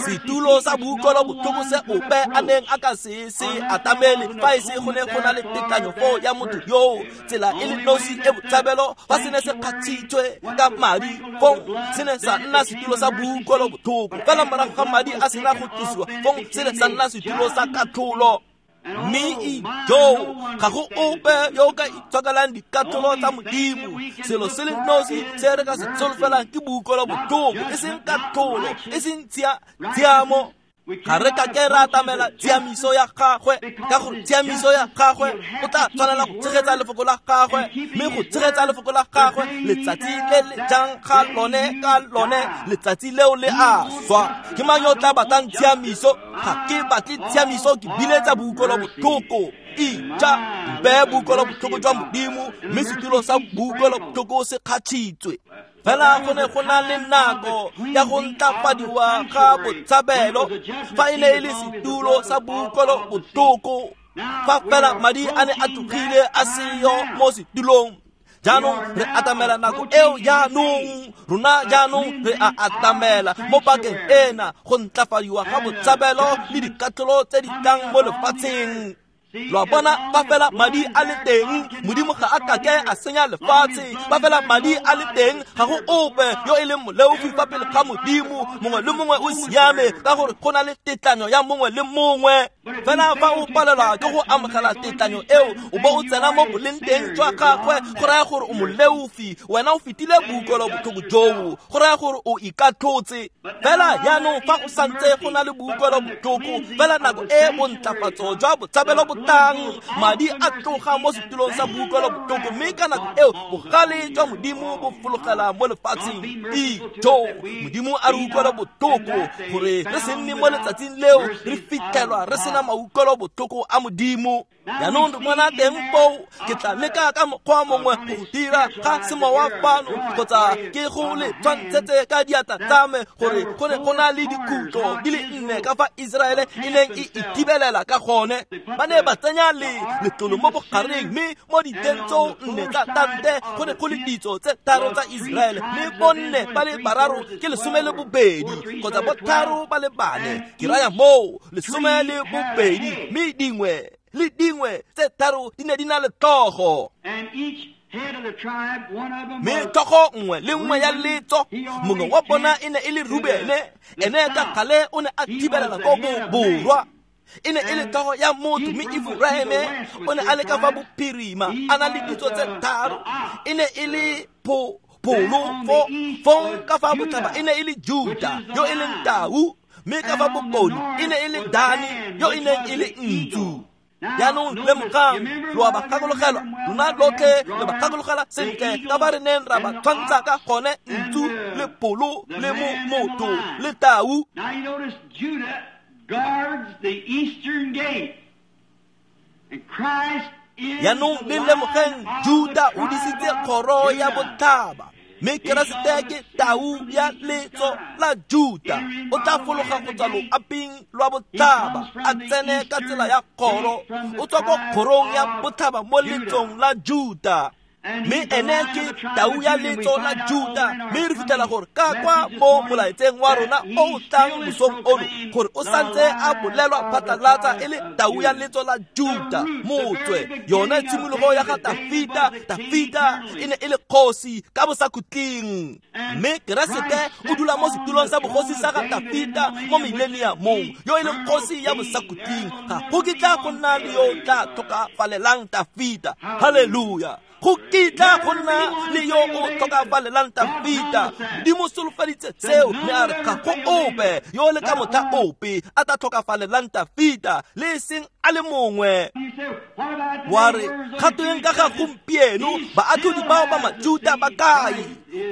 setulo sa boutlwelobotlhoko se ope a neng a ka se se atamele fa e se go ne go na le tekanyo foo ya motho yoo. Tsela e le nosi e botshabelo fa se ne se kgatshitswe ka madi, fong se ne sa nna setulo sa boutlwelobotlhoko. Fela morago ga madi a sena go tlosiwa, fong se ne sa nna setulo sa katlholo. Mme ijo ga go ope yo o ka itshokelang dikatlholo tsa Modimo. Selo se le nosi se re ka se solofelang ke boutlwelobotlhoko, e seng katlholo, e seng tshiamo. Ga re ka ke ra atamela tshiamiso ya gagwe, ka gore tshiamiso ya gagwe o tla tshwanela go tshegetsa lefoko la gagwe, mme go tshegetsa lefoko la gagwe letsatsi le le jang ga lone ka lone letsatsi leo le a swa. Ke mang yo o tla batlang tshiamiso? Ga ke batle tshiamiso, ke biletsa boutlwelobotlhoko. Ija mpe boutlwelobotlhoko jwa Modimo, mme setulo sa boutlwelobotlhoko se kgatšhitswe. Fela go ne go na le nako ya go ntlafadiwa ga botshabelo fa e ne e le setulo sa boutlwelobotlhoko, fa fela madi a ne a tlogile a seyo mo setulong. Jaanong re atamela nako eo, jaanong rona jaanong re a atamela mo pakeng ena go ntlafadiwa ga botshabelo le dikatlholo tse di tlang mo lefatsheng. Lo a bona, fa fela madi a le teng, Modimo ga a kake a senya lefatshe. Fa fela madi a le teng, ga go ope yo e leng moleofi fa pele ga Modimo. Mongwe le mongwe o siame ka gore go na le tetlanyo ya mongwe le mongwe. Fela fa o palelwa ke go amogela tetlanyo eo, o bo o tsena mo boleng teng jwa gagwe, go raya gore o moleofi. Wena o fetile boutlwelo botlhoko joo, go raya gore o ikatlhotse. Fela jaanong fa go santse go na le boutlwelo botlhoko, fela nako e bontlafatso jwa botshabelo bo tlang, madi a tloga mo setulong sa boutlwelo botlhoko, mme ka nako eo bogale jwa Modimo bo fologela mo lefatsheng. Ijo, Modimo a re utlwela botlhoko gore re se nne mo letsatsing leo re fitlhelwa re sena mautlwelo botlhoko a Modimo. Jaanong re bona teng foo, ke tla leka ka mokgwa mongwe go dira ga semowa fano, kgotsa ke go le tshwantshetse ka diatla tsa me gore go ne go na le dikhutlo di le nne ka fa Iseraele e neng e ithibelela ka gone. Ba ne ba tsenya le letlolo mo bogareng, mme mo diteng tseo nne tsa tante go ne go le ditso tse tharo tsa Iseraele, mme bonne ba le bararo ke lesome le bobedi kgotsa botharo ba le bane, ke raya moo lesome le bobedi, mme dingwe le dingwe tse tharo di ne di na le tlhogo. Mme tlhogo nngwe le nngwe ya letso, mongwe wa bona e ne e le Rubene, ene ka gale o ne a thibelela ko borwa. E ne e le tlhogo ya motho, mme Efraime o ne a le ka fa bophirima, a na le ditso tse tharo. E ne e le pho pholo fo fong ka fa botlhaba e ne e le Juda yo e leng tau, mme ka fa bokone e ne e le Dani yo e neng e le ntsu. Jaanong lemogang, lo a ba gakologelwa, lona lotlhe le ba gakologelwa sentle ka ba re neng ra ba tshwantsha ka gone, ntsu le pholo le mo motho le tau. Now you notice Judah guards the eastern gate. And Christ is Jaanong le lemogeng, Juda o disitse kgoro ya botlhaba, mme Keresete ke tau ya letso la Juda. O tla fologa go tswa loaping lwa botlhaba, a tsene ka tsela ya kgoro. O tswa ko kgorong ya botlhaba mo letsong la Juda, mme ene ke tau ya letso la Juda. Mme re fitlhela gore ka kwa mo molaetseng wa rona o o tlang mosong ono, gore o santse a bolelwa phatlalatsa e le tau ya letso la Juda, motswe yone tshimologo ya ga Tafita. Tafita e ne e le kgosi ka bosakhutleng, mme Keresete o dula mo setulong sa bogosi sa ga Tafita mo mileniamong, yo e leng kgosi ya bosakhutleng. Ga go kitla go nna le yo o tla tlhokafalelang Tafita. Haleluya! Go kitla go nna le yo o tlhokafalelang Tafita. Modimo solofeditse seo, mme a re ga go ope yo le ka motlha ope a tla tlhokafalelang Tafita, le e seng a le mongwe. Wa re kgatong ka ga gompieno, baatlhodi bao ba Majuda ba kae?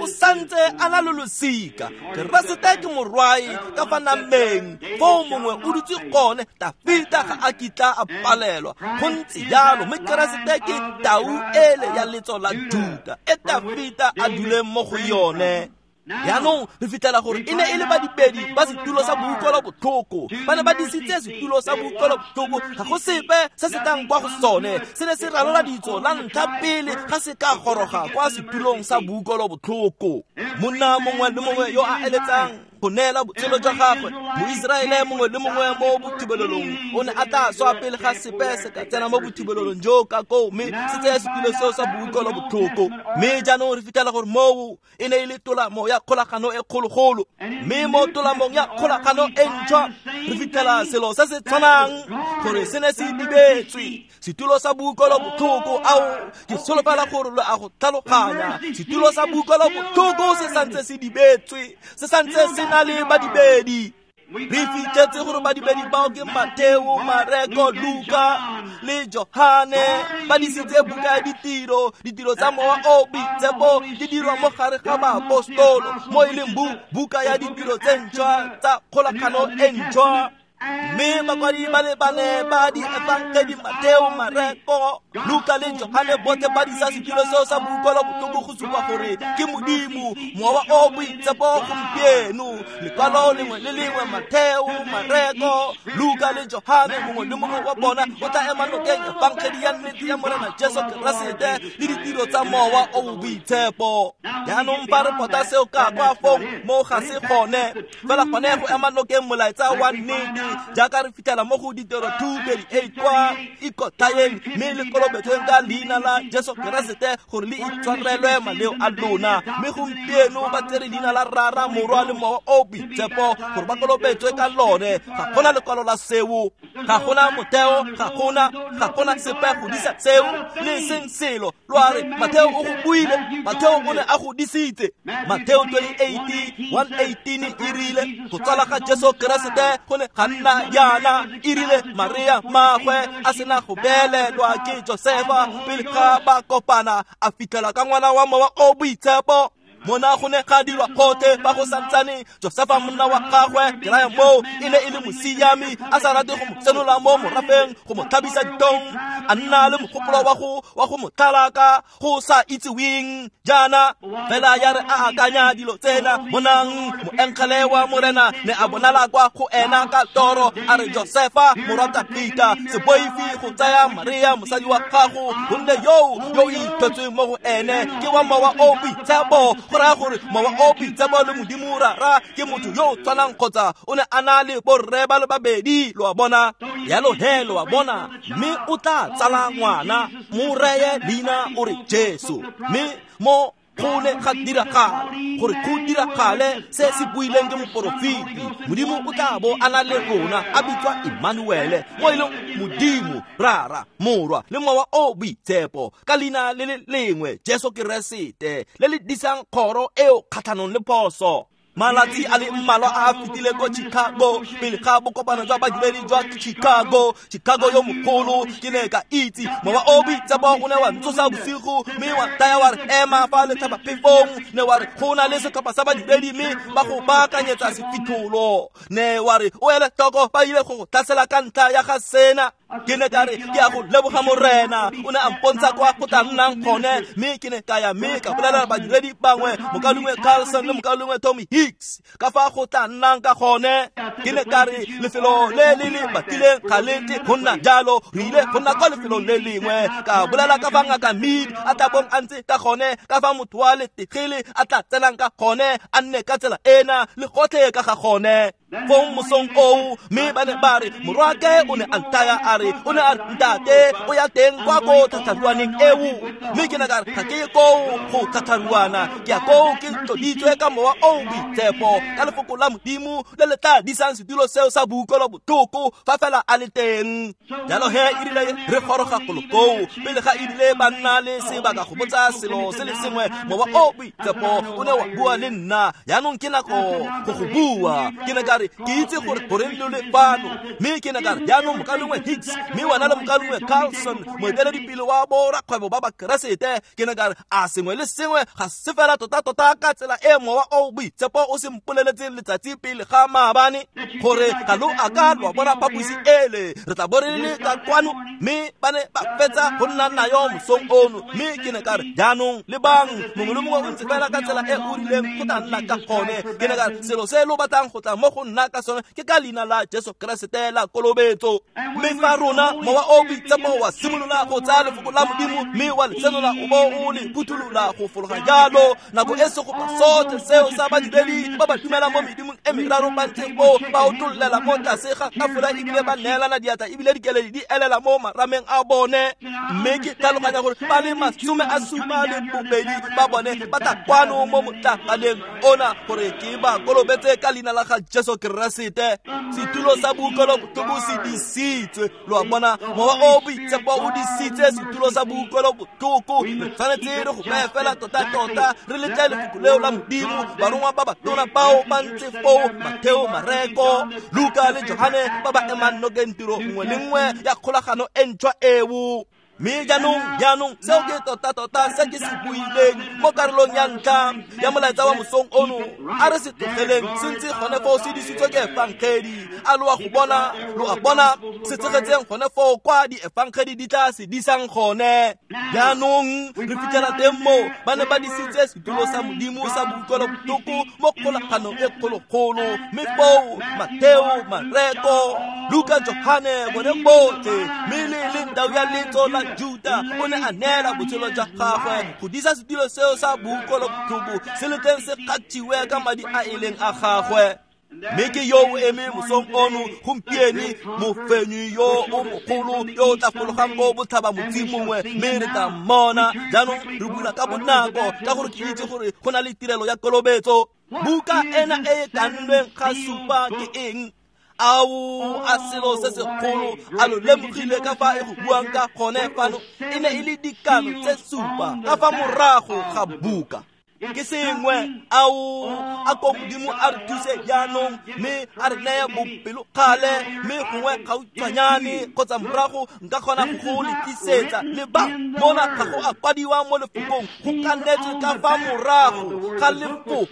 O santse a na le losika. Keresete ke morwae ka fa nameng, foo mongwe o dutse gone. Tafita ga a kitla a palelwa. Go ntse jalo, mme Keresete ke tau ele ya letso la Juda e Tafita a duleng mo go yone. Jaanong re fitlhela gore e ne e le badibedi ba setulo sa boutlwelo botlhoko. Ba ne ba disitse setulo sa boutlwelo botlhoko, ga go sepe se se tlang kwa go sone. Se ne se ralola ditso la ntlha pele ga se ka goroga kwa setulong sa boutlwelo botlhoko. Monna mongwe le mongwe yo a eletsang go neela botshelo jwa gagwe, Moiseraele mongwe le mongwe mo bothibelelong o ne a tla swa pele ga sepe se ka tsena mo bothibelelong jo ka koo, mme se tseye setulo seo sa boutlwelo botlhoko. Mme jaanong re fitlhela gore moo e ne e le tolamo ya kgolagano e kgologolo, mme mo tolamong ya kgolagano e ntšhwa re fitlhela selo se se tshwanang, gore se ne se dibetswe setulo sa boutlwelo botlhoko. Ao, ke solofela gore lo a go tlhaloganya. Setulo sa boutlwelo botlhoko se santse se dibetswe, se santse se na le badibedi. Re fitlhetse gore badibedi bao ke Mateo, Mareko, Luka le Johane. Ba disitse buka ya ditiro, ditiro tsa Mowa o Boitshepo di dirwa mo gare ga baapostolo, mo e leng buka ya ditiro tse ntšhwa tsa kgolagano e ntšhwa. Mme bakwadi ba le bane ba diefangedi, Mateo, Mareko, Luka le Johane, botlhe ba disa setulo seo sa boutlwelo botlhoko go supa gore ke Modimo Mowa o Boitshepo gompieno. Lekwalo lengwe le lengwe, Mateo, Mareko, Luka le Johane, mongwe le mongwe wa bona o tla ema nokeng efangedi ya nnete ya Morena Jesu Keresete le ditiro tsa Mowa o Boitshepo. Jaanong fa re pota seo ka kwa fong, mo ga se gone fela gone go ema nokeng molaetsa wa nnete Jaaka re fitlhela mo go Ditiro two thirty-eight kwa ikotlhaeng mme le kolobetsweng ka leina la Jesu Keresete gore le itshwarelwe maleo a lona. Mme gompieno ba tsere leina la Rara, Morwa le Mowa o Boitshepo gore ba kolobetswe ka lone. Ga gona lekwalo la seo, ga gona motheo, ga gona ga gona sepe go disa seo le seng selo. Lo a re Matheo o go buile, Matheo o ne a go disitse. Matheo twenty-eight one eighteen e rile go tsala ga Jesu Keresete go ne ga nna jaana. E rile Maria mmagwe a sena go beelelwa ke Josefa pele ga ba kopana, a fitlhela ka ngwana wa Mowa o Boitshepo. Mona go ne ga dirwa kgothe fa go santsane Josefa monna wa gagwe, ke raya moo e ne e le mosiami, a sa rate go mo senola mo morafeng go mo tlhabisa ditong, a nna le mogopolo wa go wa go mo tlhalaka go sa itseweng jaana. Fela ya re a akanya dilo tsena, bonang moengele wa Morena ne a bonala kwa go ena ka toro, a re Josefa morwa Dafita, se boife go tsaya Maria mosadi wa gago, gonne yo yo ithwetsweng mo go ene ke wa Mowa o Boitshepo. Go raya gore Mowa o Boitshepo le Modimo Rara ke motho yo o tshwanang, kgotsa o ne a na le borre ba le babedi. Lo a bona? Jalo he lo a bona, mme o tla tsala ngwana, mo reye leina o re Jesu. Mme mo go ne ga diragala gore go diragale se se buileng ke moporofeti, Modimo o tla bo a na le rona, a bitswa Emmanuele, mo e leng Modimo Rara, Morwa le Mowa o Boitshepo, ka leina le le lengwe Jesu Keresete, le le disang kgoro eo kgatlhanong le phoso. Malatsi a le mmalwa a a fetile ko Chicago, pele ga bokopano jwa badiredi jwa Chicago, Chicago yo mogolo, ke ne ka itse Mowa o Boitshepo o ne wa ntsosa bosigo, mme wa ntaya wa re ema fa letlhabaphefong, ne wa re go na le setlhopha sa badiredi mme ba go baakanyetsa sefitlholo, ne wa re o ele tlhoko ba ile go go tlhasela ka ntlha ya ga sena. Ke ne ka re ke a go leboga Morena, o ne a mpontsha kwa go tla nnang gone, mme ke ne ka ya mme ka bolelela badiredi bangwe, mokaulengwe Carlson le mokaulengwe Tommy Hicks, ka fa go tla nnang ka gone. Ke ne ka re lefelo le le le batileng ga le tle go nna jalo, re ile go nna kwa lefelong le lengwe. Ka bolela ka fa ngaka Mead a tla bong a ntse ka gone, ka fa motho wa letegele a tla tsenang ka gone, a nne ka tsela ena le gotlhe ka ga gone. Fong mosong oo, mme ba ne ba re morwake o ne a nthaya a re, o ne a re ntate o ya teng kwa ko tlhatlharuaneng eo. Mme ke ne ka re ga ke ye koo go tlhatlharuana, ke ya koo ke tloditswe ka Mowa o Boitshepo, ka lefoko la Modimo le le tla disang setulo seo sa boutlwelobotlhoko fa fela a le teng. Jalo he e rile re goroga golo koo, pele ga e rile ba nna le sebaka go botsa selo se le sengwe, Mowa o Boitshepo o ne wa bua le nna. Jaanong ke nako go go bua. Ke ne ka re ke itse gore goreng lo le fano, mme ke ne ka re jaanong mokaulengwe Hicks, mme wena le mokaulengwe Carlson, moeteledipele wa borakgwebo ba Bakeresete, ke ne ka re a sengwe le sengwe ga se fela tota-tota ka tsela e Mowa o Boitshepo o se mpoleletseng letsatsi pele ga maabane, gore ga lo a ka lwa bona phaposi ele, re tla bo re le ka kwano. Mme ba ne ba fetsa go nna nayo mosong ono. Mme ke ne ka re jaanong lebang, mongwe le mongwe o ntse fela ka tsela e o rileng go tla nna ka gone. Ke ne ka re selo se lo batlang go tla mo go nna ka sone ke ka leina la Jesu Keresete la kolobetso. Mme fa rona Mowa o Boitshepo wa simolola go tsaya lefoko la Modimo mme wa le senola o bo o le phuthulola go fologa jalo, nako e segopa sotlhe seo sa badiredi ba ba dumelang mo medimong e meraro ba ntse foo ba otollela mo tlase ga tafola, ebile ba neelana diatla, ebile dikeledi di elela mo marameng a bone. Mme ke tlhaloganya gore ba le masome a supa le bobedi ba bone ba tla kwano mo motlaganeng ona gore ke ba kolobetse ka leina la ga Jesu Keresete. Setulo sa boutlwelobotlhoko se disitswe. Lo a bona, Mowa o Boitshepo o disitse setulo sa boutlwelobotlhoko. Re tshwanetse re go beye fela tota-tota, re letle lefoko leo la Modimo. Barongwa ba batona bao ba ntse foo, Matheo, Mareko, Luka le Johane, ba ba emang nokeng tiro nngwe le nngwe ya kgolagano e ntšhwa eo. Mme jaanong, jaanong seo ke tota-tota se ke se buileng mo karolong ya ntlha ya molaetsa wa mosong ono. A re se tlogeleng se ntse gone foo se disitswe ke efangedi. A lo a go bona, lo a bona se tshegetseng gone foo kwa diefangedi di tla se disang gone. Jaanong re fitlhela teng mo ba ne ba disitse setulo sa Modimo sa boutlwelobotlhoko mo kgolaganong e kgologolo. Mme foo Matheo, Mareko, Luka, Johane, bone botlhe, mme le le ndau ya letso la Juda o ne a neela botshelo jwa gagwe go disa setulo seo sa boutlwelobotlhoko se le teng se kgathiwe ka madi a e leng a gagwe. Mme ke yo o eme mosong ono gompieno, mofenyi yo o mogolo yo o tla fologang ko botlhaba motsi mongwe, mme re tla mmona. Jaanong re bula ka bonako ka gore ke itse gore go na le tirelo ya kolobetso. Buka ena e e kannweng ga supa ke eng? Ao, a selo se segolo, a lo lemogile ka fa e go buang ka gone fano? E ne e le dikano tse supa ka fa morago ga buka. Ke sengwe, ao, a ko Modimo a re thuse jaanong, mme a re neye bopelokgale, mme gongwe gautshwanyane kgotsa morago nka kgona go le tlisetsa. Le ba mona ga go a kwadiwa mo lefokong, go kanetswe ka fa morago ga lefoko.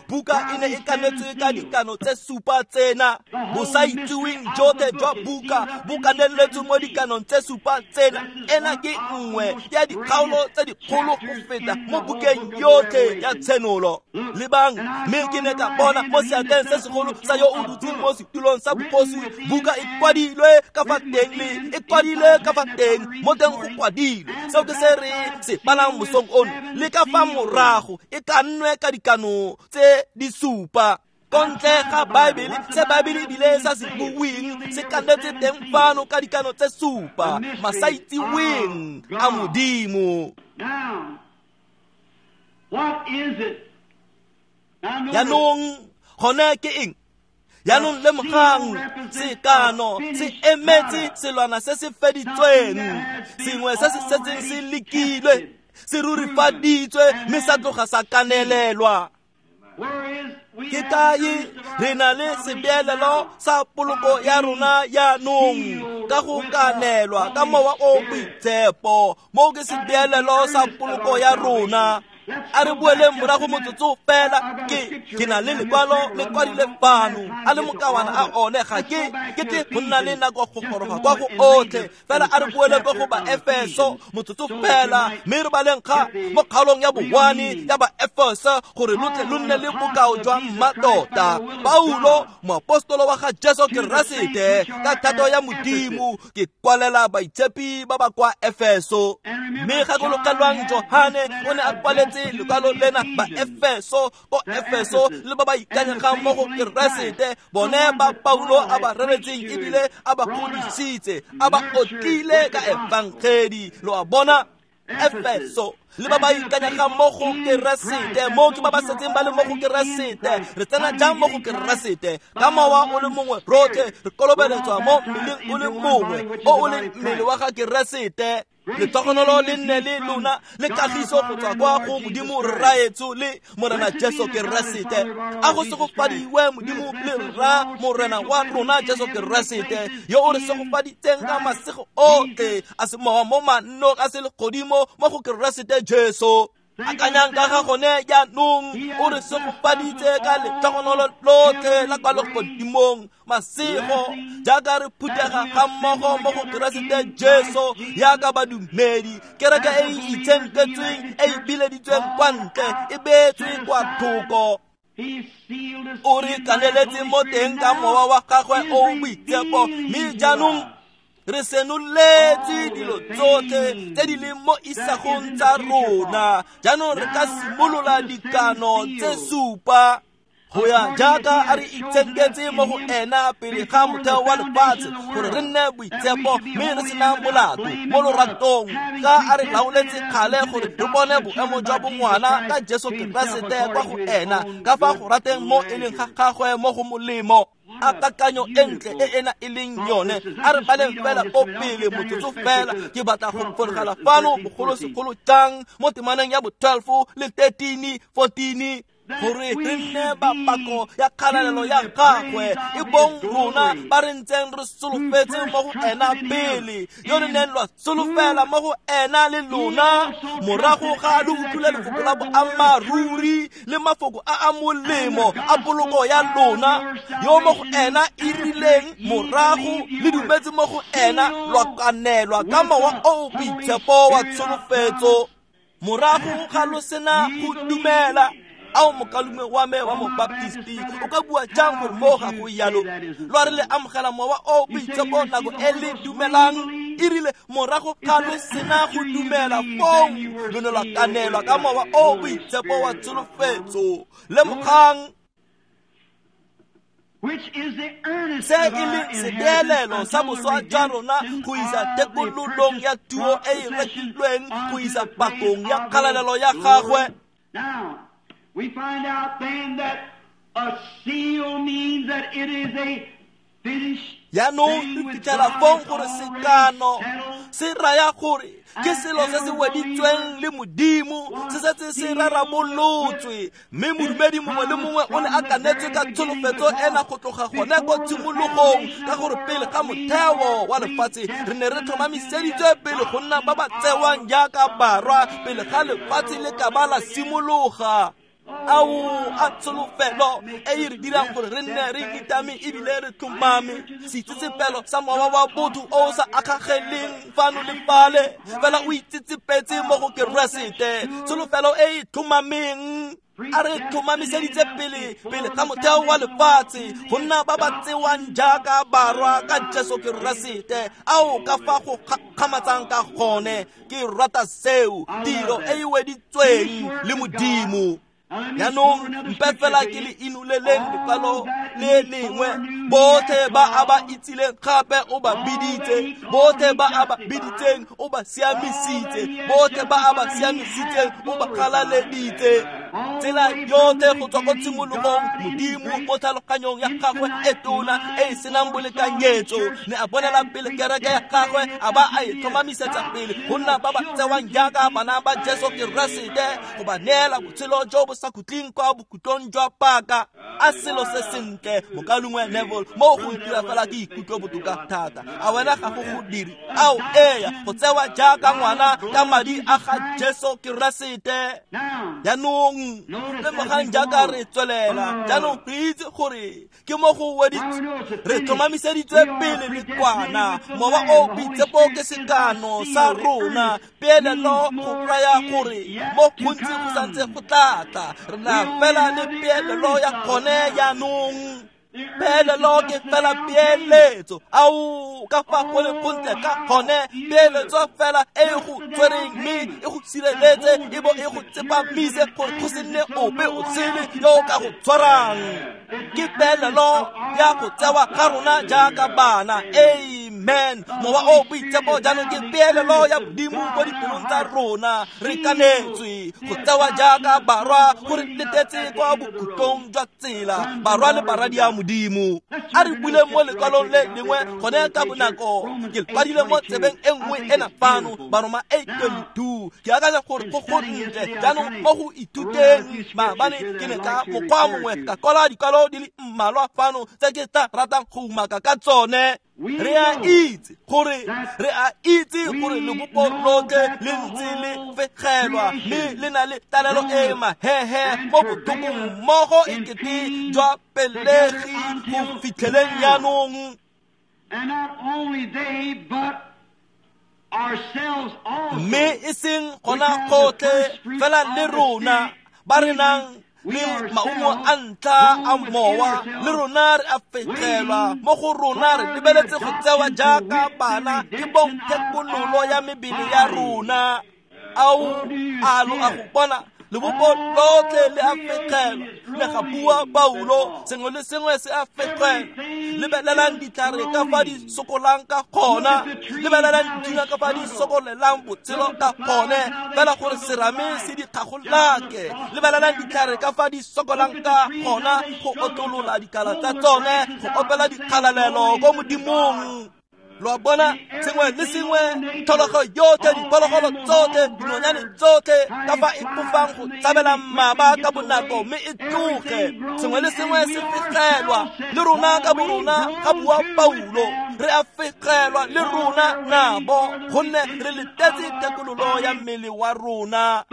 Buka e ne e kanetswe ka dikano tse supa tsena. Bosaitseweng jotlhe jwa buka bo kaneletswe mo dikanong tse supa tsena. Ena ke nngwe ya dikgaolo tse dikgolo go feta mo bukeng yotlhe ya Tshenolo. Lebang, mme ke ne ka bona mo seatleng se segolo sa yo o dutseng mo setulong sa bogosi, buka e kwadilwe ka fa teng le e kwadilwe ka fa teng, mo teng go kwadilwe. Seo ke se re se balang mosong ono, le ka fa morago e kannwe ka dikano tse di supa. Kontle ga Baebele, se Baebele ebile sa se bueng se kanetse teng fano ka dikano tse supa, masaitseweng a Modimo. What is it? Jaanong gone ke eng? Jaanong lemogang, sekano se emetse selwana se se feditsweng, sengwe se se setseng se lekilwe, se rurifaditswe, mme sa tloga sa kanelelwa. Ke kae re na le sebeelelo sa poloko ya rona jaanong ka go kanelwa ka mowa o boitshepo. Moo ke sebeelelo sa poloko ya rona. A re boeleng morago motsotso fela. Ke ke na le lekwalo le kwadile fano, a le mokawana a one, ga ke ke tle go nna le nako go goroga kwa go otlhe. Fela a re boele kwa go ba Efeso motsotso fela, mme re baleng ga mo kgaolong ya bowane ya ba Efeso gore lo tle lo nne le bokao jwa mmatota. Paulo, moapostolo wa ga Jesu Keresete, ka thato ya Modimo, ke kwalela baitshepi ba ba kwa Efeso. Mme gakologelwang, Johane o ne a kwaletse lekwalo lena ba Efeso, ko Efeso le ba ba ikanyegang mo go Keresete, bone ba Paulo a ba reretseng ebile a ba godisitse, a ba otlile ka efangedi. Lo a bona? Efeso le ba ba ikanyegang mo go Keresete, mo ke ba ba setseng ba le mo go Keresete. Re tsena jang mo go Keresete? Ka mowa o le mongwe rotlhe re kolobeletswa mo mmeleng o le mongwe, o o leng mmele wa ga Keresete. Letogonolo le nne le lona le kagiso go tswa kwa go Modimo Rraetsho le Morena Jesu Keresete. A go segofadiwe Modimo le Rra Morena wa rona Jesu Keresete, yo o re segofaditseng ka masego otlhe a semowa mo mannong a selegodimo mo go Keresete Jesu. Akanyang ka ga gone jaanong, o re segofaditse ka letlhogonolo lotlhe la kwa legodimong, masego jaaka re phuthega ga mmogo mo go Keresete Jesu jaaka badumedi. Kereke e e itshenketsweng, e e bileditsweng kwa ntle, e beetswe kwa thoko. O re kaneletse mo teng ka mowa wa gagwe o boitshepo, mme jaanong re senoletse dilo tsotlhe tse di leng mo isagong tsa rona. Jaanong re ka simolola dikano tse supa go ya jaaka a re itshenketse mo go ena pele ga motheo wa lefatshe, gore re nne boitshepo mme re sena molato mo loratong, ka a re laoletse kgale gore re bone boemo jwa bongwana ka Jesu Keresete kwa go ena, ka fa go rateng mo e leng ga gagwe mo go molemo. A kakanyo e ntle e ena e leng yone. A re baleng fela ko pele motsotso fela. Ke batla go fologela fano bogolosegolo jang mo temaneng ya bo twelve le thirteen, fourteen, gore re nne bapako ya kgalalelo ya gagwe, e bong rona ba re ntseng re solofetse mo go ena pele, yo re neng lwa solofela mo go ena le lona, morago ga lo utlwile lefoko la boammaaruri le mafoko a a molemo a poloko ya lona, yo mo go ena e rileng morago le dumetse mo go ena, lwa kanelwa ka mowa o o boitshepo wa tsholofetso. Morago ga lo sena go dumela. Ao mokalume wa me wa mobaptisti, o ka bua jang gore mo ga go yalo? Lwa re le amogela mowa o boitshepo nako e le dumelang, e rile morago ga lo sena go dumela fong lo ne lwa kanelwa ka mowa o boitshepo wa tsholofetso. Lemogang. Se e leng sebeelelo sa boswa jwa rona go isa tekololong ya tuo e e rekilweng go isa pakong ya kgalalelo ya gagwe. Now, we find out then that a seal means that it is a finished Jaanong re fitlhela fong gore sekano se raya gore ke selo se se weditsweng le Modimo, se setse se rarabolotswe, mme modumedi mongwe le mongwe o ne a kanetswe ka tsholofetso ena go tloga gone ko tshimologong, ka gore pele ga motheo wa lefatshe re ne re tlhomamiseditswe pele go nna ba ba tsewang jaaka barwa pele ga lefatshe le ka ba la simologa. Ao a tsholofelo e e re dirang gore re nne re nitame ebile re tlhomame, seitsetsepelo sa mowa wa botho o o sa akgageleng fano le fale, fela o itsetsepetse mo go Keresete, tsholofelo e e tlhomameng. A re tlhomamiseditse pele pele ga motheo wa lefatshe go nna ba ba tsewang jaaka barwa ka Jesu Keresete. Ao ka fa go kgakgamatsang ka gone, ke rata seo, tiro e e weditsweng le Modimo. Jaanong mpe fela ke le inoleleng lekwalo le lengwe. Botlhe ba a ba itsileng gape o ba biditse, botlhe ba a ba biditseng o ba siamisitse, botlhe ba a ba siamisitseng o ba galaleditse. Tsela yotlhe go tswa ko tshimologong, Modimo mo tlhaloganyong ya gagwe e tona e e senang bolekanyetso ne a bonela pele kereke ya gagwe, a ba a e tlhomamisetsa pele go nna ba ba tsewang jaaka bana ba Jesu Keresete, go ba neela botshelo jo bo sa khutleng kwa bokhutlong jwa paka. A selo se sentle, mokalengwe Neville, mo go ntira fela ke ikutlwe botoka thata. A wena ga go go dire? Ao eya, go tsewa jaaka ngwana ka madi a ga Jesu Keresete. Jaanong lemogang jaaka re tswelela, jaanong re itse gore ke mo go weditswe, re tlhomamiseditswe pele le kwana. Mowa o boitshepo ke sekano sa rona, peelelo go raya gore mo gontsi go santse go tla tla, re na fela le peelelo ya gone jaanong. Peelelo ke fela peeletso, ao ka fa go le gontle ka gone, peeletso fela e go tshwereng mme e go sireletse e bo e go tsepamise gore go se nne ope o sele yo o ka go tshwarang. Ke peelelo ya go tsewa ga rona jaaka bana. Amen. Mowa o boitshepo jaanong ke peelelo ya Modimo mo dipelong tsa rona. Re kanetswe go tsewa jaaka barwa, go re letetse kwa bokhutlong jwa tsela, barwa le baradi ya Modimo. A re bule mo lekwalong le lengwe gone ka bonako, ke kwadile mo tsebeng e nngwe ena fano, Baroma eight twenty-two. Ke akanya gore go gontle jaanong mo go ithuteng maabane ke ne ka mokgwa mongwe ka kwala dikwalo di le mmalwa fano tse ke tla ratang go umaka ka tsone. Re a itse gore re a itse gore lebopo lotlhe le ntse le fegelwa mme le na le talelo e mahehe mo botlhokong mmogo ekete jwa pelegi go fitlheleng jaanong. And not only they, but ourselves also. Mme e seng gona gotlhe fela le rona ba re nang le maungo a ntlha a mowa, le rona re a fegelwa mo go rona, re lebeletse go tsewa jaaka bana ke bong thekololo ya mebele ya rona. Ao a lo a go bona lebopo lotlhe le a fegelwa, le ga bua Paulo, sengwe le sengwe se a fegelwa. Lebelelang ditlhare ka fa di sokolang ka gona, lebelelang dithunya ka fa di sokolelang botshelo ka gone, fela gore serame se di kgagolake. Lebelelang ditlhare ka fa di sokolang ka gona go otlolola dikala tsa tsone, go opela dikgalalelo ko Modimong. Lo a bona, sengwe le sengwe, tlholego yotlhe, diphologolo tsotlhe, dinonyane tsotlhe, ka fa e fofang go tshabela mmaba ka bonako mme e tloge. Sengwe le sengwe se fegelwa, le rona ka borona, ga bua Paulo, re a fegelwa le rona nabo, gonne re letetse thekololo ya mmele wa rona.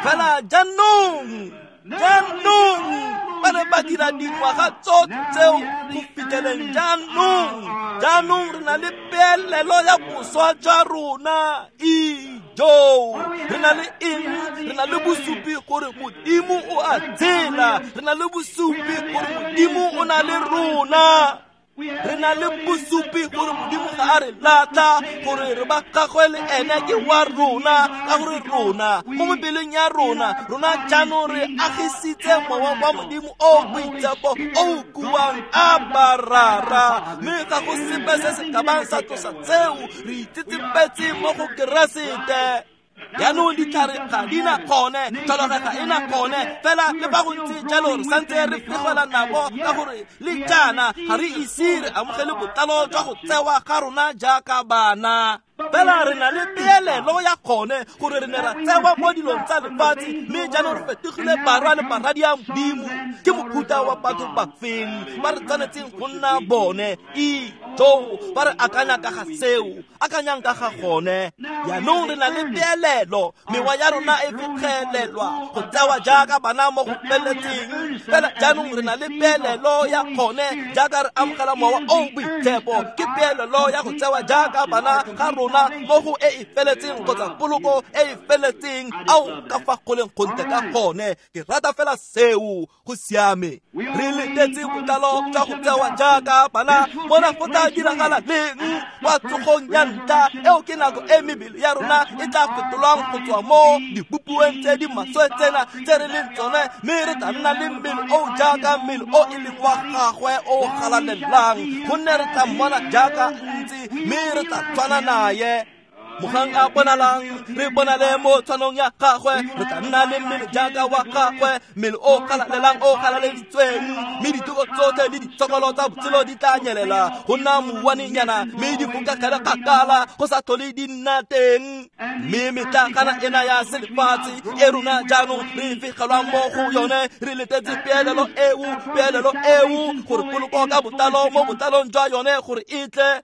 Fela jaanong, jaanong ba ne ba dira dingwaga tsotlhe tseo go fitlheleng jaanong. Jaanong re na le peelelo ya boswa jwa rona. Ijo, re na le eng? Re na le bosupi gore Modimo o a tshela. Re na le bosupi gore Modimo o na le rona. Re na le bosupi gore Modimo ga a re latlha, gore re ba gagwe le ene ke wa rona, ka gore rona mo mebeleng ya rona, rona jaanong re agisitse mowa wa Modimo o boitshepo o o kuang Abba Rara, mme ga go sepe se se ka bang sa tlosa tseo, re itsetsepetse mo go Keresete. Jaanong ditlhare ga di na gone, tlholego ga e na gone, fela le fa go ntse jalo re santse re fegela nako ka gore le jaana ga re ise re amogele botlalo jwa go tsewa ga rona jaaka bana. Fela re na le peelelo ya gone gore re ne ra tsewa mo dilong tsa lefatshe, mme jaanong re fetogile barwa le baradi a Modimo. Ke mofuta wa batho ba feng ba re tshwanetseng go nna bone? Ijo, ba re akanya ka ga seo, akanyang ka ga gone. Jaanong re na le peelelo, mewa ya rona e fitlhelelwa go tsewa jaaka bana mo go feletseng. Fela jaanong re na le peelelo ya gone jaaka re amogela mowa o boitshepo, ke peelelo ya go tsewa jaaka bana ga rona mo go e e feletseng kgotsa poloko e e feletseng. Ao ka fa go leng gontle ka gone, ke rata fela seo, go siame. Re letetse botlalo jwa go tsewa jaaka bana, mona go tla diragala leng? Kwa tsogong ya ntlha, eo ke nako e mebele ya rona e tla fetolwang go tswa mo dibopiweng tse di maswe tsena tse re leng tsone, mme re tla nna le mmele o jaaka mmele o e leng wa gagwe o galalelang, gonne re tla mmona jaaka ntse, mme re tla tshwana naye. Mogang a bonalang, re bonale mo tshwanong ya gagwe, re tla nna le mmele jaaka wa gagwe, mmele o galalelang o galaleditsweng, mme ditoko tsotlhe le ditshokolo tsa botshelo di tla nyelela go nna mouwanenyana, mme di fokagele kgakala go sa tlhole di nna teng. Mme metlakana ena ya selefatshe e rona jaanong re fegelwang mo go yone, re letetse peelelo eo, peelelo eo gore poloko ka botlalo mo botlalong jwa yone gore e tle.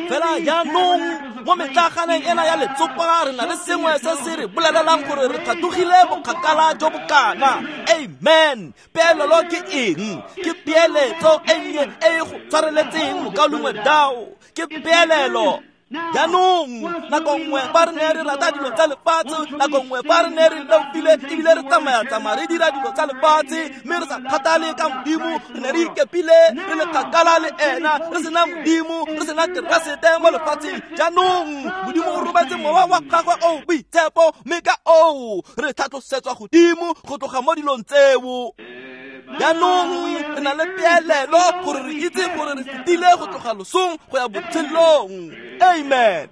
Fela jaanong mo metlaganeng ena ya letsopa re na le sengwe se se re bolelelang gore re tlhatlogile bokgakala jo bokana. Amen. Peelelo ke eng? Ke peeletso e nnye e e go tshwareletseng mokaulengwe Dao. Ke peelelo. Jaanong nako nngwe fa re ne re rata dilo tsa lefatshe, nako nngwe fa re ne re leofile ebile re tsamaya-tsamaya re dira dilo tsa lefatshe, mme re sa kgathale ka Modimo, re ne re ikepile re le kgakala le ena, re sena Modimo, re sena Keresete mo lefatsheng. Jaanong Modimo o rometse mowa wa gagwe o boitshepo, mme ka oo re tlhatlosetswa godimo go tloga mo dilong tseo. Jaanong re na le peelelo gore re itse gore re fetile go tloga losong go ya botshelong. Amen.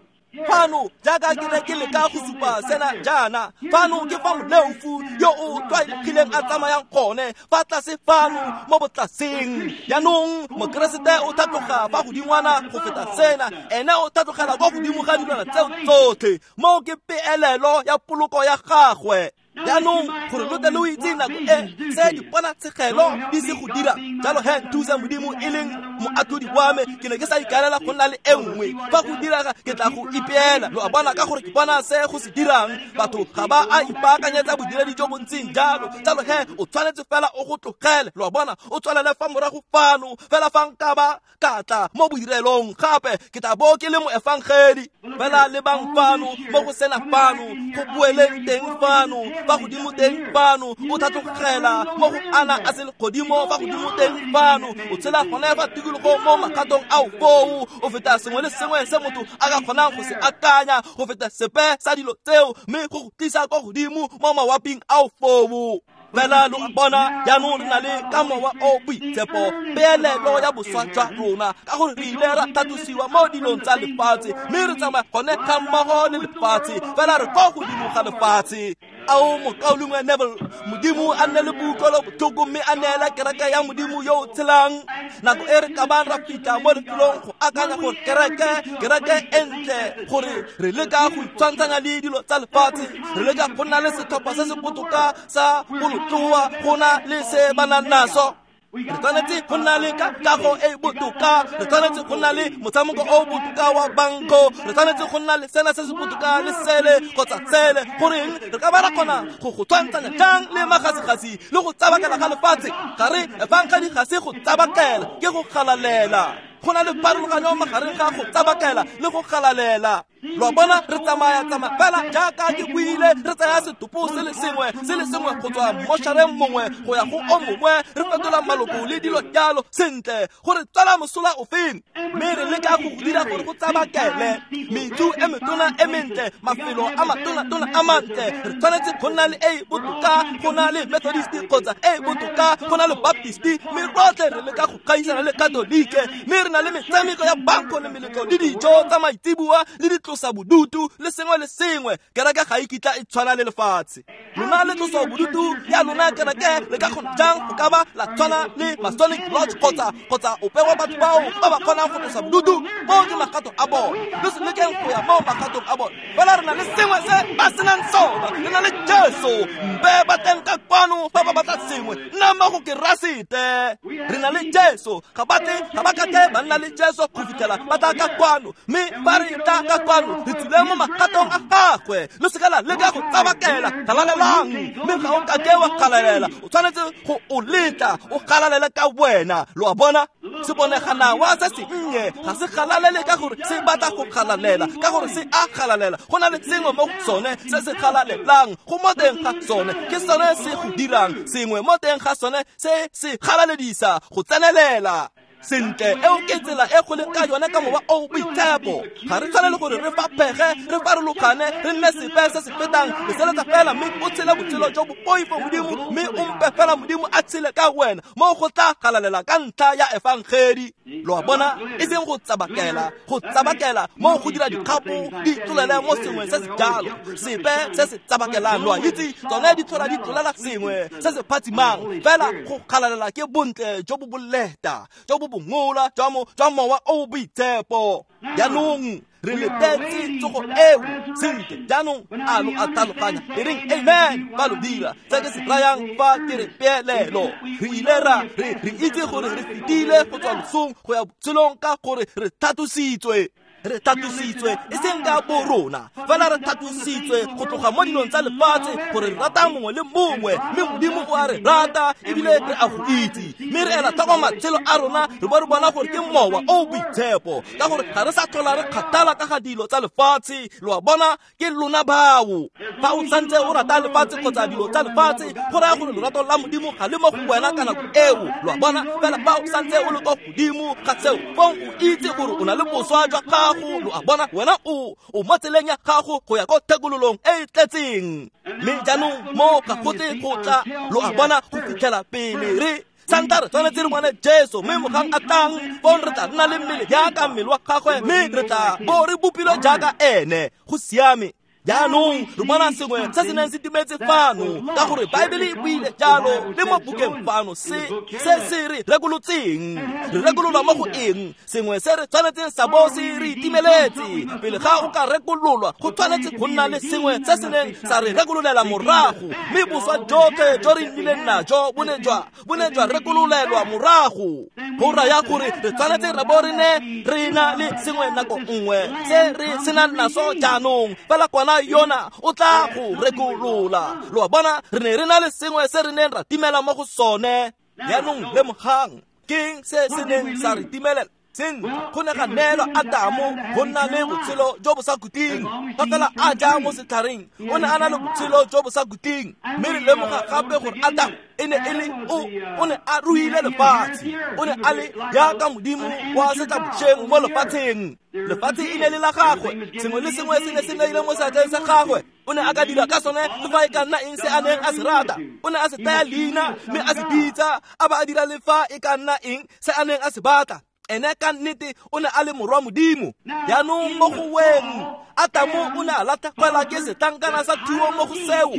Fano jaaka ke ne ke leka go supa sena jaana, fano ke fa moleofu yo o tlwaelegileng a tsamayang gone, fa tlase fano mo botlaseng. Jaanong Mokeresete o tlhatloga fa godingwana go feta sena, ene o tlhatlogela kwa godimo ga dilwana tseo tsotlhe. Moo ke peelelo ya poloko ya gagwe. Jaanong gore lo tle lo itse nako e se diponatshegelo di se go dira jalo, he thusa Modimo e leng moatlhodi wa me, ke ne ke sa ikaelela go nna le e nngwe. Fa go diraga ke tla go ipeela, lo a bona, ka gore ke bona se go se dirang. Batho ga ba a ipaakanyetsa bodiredi jo bo ntseng jalo, jalo he o tshwanetse fela o go tlogele, lo a bona, o tswelele fa morago fano. Fela fa nka ba ka tla mo bodirelong gape, ke tla bo ke le moefangedi. Fela lebang fano mo go sena fano, go boeleng teng fano, fa godimo teng fano, o tlhatlogela mo go ana a selegodimo, fa godimo teng fano, o tshela gone fa tikologo mo magatong ao foo, o feta sengwe le sengwe se motho a ka kgonang go se akanya, go feta sepe sa dilo tseo, mme go go tlisa kwa godimo mo mawaping ao foo. Fela lo a bona, jaanong re na le ka mowa o boitshepo peelelo ya boswa jwa rona, ka gore re ile ra tlhatlosiwa mo dilong tsa lefatshe, mme re tsamaya gone ga mmogo le lefatshe, fela re kwa godimo ga lefatshe. Ao mokaulengwe Neville, Modimo a nne le boutlwelo botlhoko mme a neela kereke ya Modimo yo o tshelang. Nako e re ka bang ra fitlha mo lefelong go akanya gore kereke, kereke e ntle, gore re leka go itshwantshanya le dilo tsa lefatshe, re leka go nna le setlhopha se se botoka sa bolotloa go na le se ba nang naso. Re tshwanetse go nna le kago e botoka, re tshwanetse go nna le motshameko o botoka wa banko, re tshwanetse go nna le sena se se botoka le sele kgotsa sele. Goreng re ka ba ra kgona go go tshwantshanya jang le magasigasi le go tsabakela ga lefatshe? Ga re efangedi ga se go tsabakela, ke go galalela. Go na le pharologanyo magareng ga go tsabakela le go galalela. Lo a bona, re tsamaya tsamaya fela jaaka ke buile, re tsaya setopo se le sengwe se le sengwe go tswa moshareng mongwe go ya go o mongwe, re fetola maloko le dilo jalo. Sentle, gore tswela mosola ofeng? Mme re leka go go dira gore go tsabakele metsu e metona e mentle, mafelo a matona-tona a mantle. Re tshwanetse go nna le e botoka go na le Methodist kgotsa e botoka go na le Baptist, mme rotlhe re leka go gaisana le Katolike, mme re na le metshameko ya banko le meletlo le dijo tsa maitseboa le ditlosa bodutu le sengwe le sengwe. Kereke ga e kitla e tshwana le lefatshe. Lona le tlosa bodutu ya lona kereke le ka kgona jang go ka ba la tshwana le Masonic Lodge kgotsa kgotsa ope wa batho bao ba ba kgonang go tlosa bodutu? Moo ke magato a bone. Le se lekeng go ya mo magatong a bone. Fela re na le sengwe se ba senang sona, re na le Jesu. Mpe ba teng ka kwano fa ba batla sengwe, nna mmogo ke rasete. Re na le Jesu. Ga ba tle, ga ba ka ke ba nna le Jesu go fitlhela ba tla ka kwano, mme ba re tla ka kwano re tswile mo magatong a gagwe. Le se ka la leka go tsabakela, galalelang, mme ga o ka ke wa galalela. O tshwanetse go o letla o galalele ka wena. Lo a bona, se boneganawa se sennye ga se galalele ka gore se batla go galalela, ka gore se a galalela. Go na le sengwe mo go sone se se galalelang, go mo teng ga sone, ke sone se go dirang sengwe mo teng ga sone se se galaledisa go tsenelela. Sentle, eo ke tsela e go leng ka yone ka mowa o boitshepo. Ga re tshwanele gore re faphege, re farologane, re nne sepe se se fetang. Leseletsa fela mme o tshele botshelo jo bo poifo Modimo, mme o mpe fela Modimo a tshele ka wena, mo go tla galalela ka ntlha ya efangedi. Lo a bona, e seng go tsabakela, go tsabakela mo go dira dikgapo di tlolele mo sengwe se se jalo, sepe se se tsabakelang. Lo a itse, tsone di tlhola di tlolela sengwe se se phatsimang. Fela go galalela ke bontle jo bo boleta, jo bo bongola jwa mo jwa mowa o boitshepo. Jaanong re letetse tsogo eo. Sentle, jaanong a lo a tlhaloganya e reng amen fa lo dira se ke se rayang fa ke re peelelo. Re ile ra re re itse gore re fetile go tswa losong go ya botshelong ka gore re thatositswe. Re thatositswe e seng ka borona, fela re thatositswe go tloga mo dilong tsa lefatshe gore re rata mongwe le mongwe, mme Modimo o a re rata ebile re a go itse. Mme re ela tlhoko matshelo a rona, re bo re bona gore ke mowa o boitshepo, ka gore ga re sa tlhola re kgathala ka ga dilo tsa lefatshe. Lo a bona, ke lona bao. Fa o santse o rata lefatshe kgotsa dilo tsa lefatshe, go raya gore lorato la Modimo ga le mo go wena ka nako eo. Lo a bona, fela fa o santse o le kwa godimo ga seo, fong o itse gore o na le boswa jwa gago. Lo a bona, wena o o mo tseleng ya gago go ya ko thekololong e e tletseng. Mme jaanong mo ga go tle go tla, lo a bona, go fitlhela pele re santa re tshwanetse re bone Jesu, mme mogang a tlang fong re tla nna le mmele jaaka mmele wa gagwe, mme re tla bo re bopilwe jaaka ene. Go siame. Jaanong re bona sengwe se se neng se timetse fano, ka gore Baebele e buile jalo le mo bukeng fano, se se se re rekolotseng. Re rekololwa mo go eng? Sengwe se re tshwanetseng sa bo se re itimeletse. Pele ga o ka rekololwa, go tshwanetse go nna le sengwe se se neng sa re rekololela morago, mme boswa jotlhe jo re nnileng najo bo ne jwa bo ne jwa rekololelwa morago. Go raya gore re tshwanetse ra bo re ne re na le sengwe nako nngwe se re senang naso jaanong, fela kwana yona o tla go rekolola. Lo a bona, re ne re na le sengwe se re neng ra timela mo go sone. Jaanong lemogang, ke eng se se neng sa re timelela? Sentle, go ne ga neelwa Adamo go nna le botshelo jo bo sa khutleng. Fa fela a ja mo setlhareng, o ne a na le botshelo jo bo sa khutleng. Mme re lemoga gape gore Adamo e ne e le o o ne a ruile lefatshe, o ne a le jaaka Modimo wa setlabošeng mo lefatsheng. Lefatshe e ne le la gagwe, sengwe le sengwe se ne se neile mo seatleng sa gagwe. O ne a ka dira ka sone le fa e ka nna eng se a neng a se rata. O ne a se taya leina mme a se bitsa, a ba a dira le fa e ka nna eng se a neng a se batla. Ene ka nnete o ne a le morwa Modimo. Jaanong mo go weng, Adamo o ne a latlhegelwa ke setlankana sa thuo mo go seo.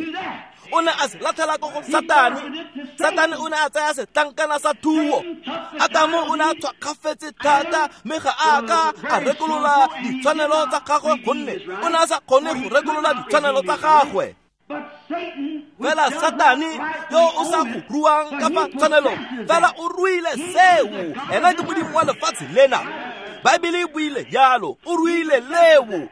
O ne a se latlhela ko go Satane. Satane o ne a tsaya setlankana sa thuo. Adamo o ne a tshwakgafetse thata, mme ga a ka a rekolola ditshwanelo tsa gagwe, gonne o ne a sa kgone go rekolola ditshwanelo tsa gagwe. Fela Satane yo o sa go ruang ka fa tshwanelong, fela o ruile seo. Ena ke modimo wa lefatshe lena. Baebele e buile jalo, o ruile leo.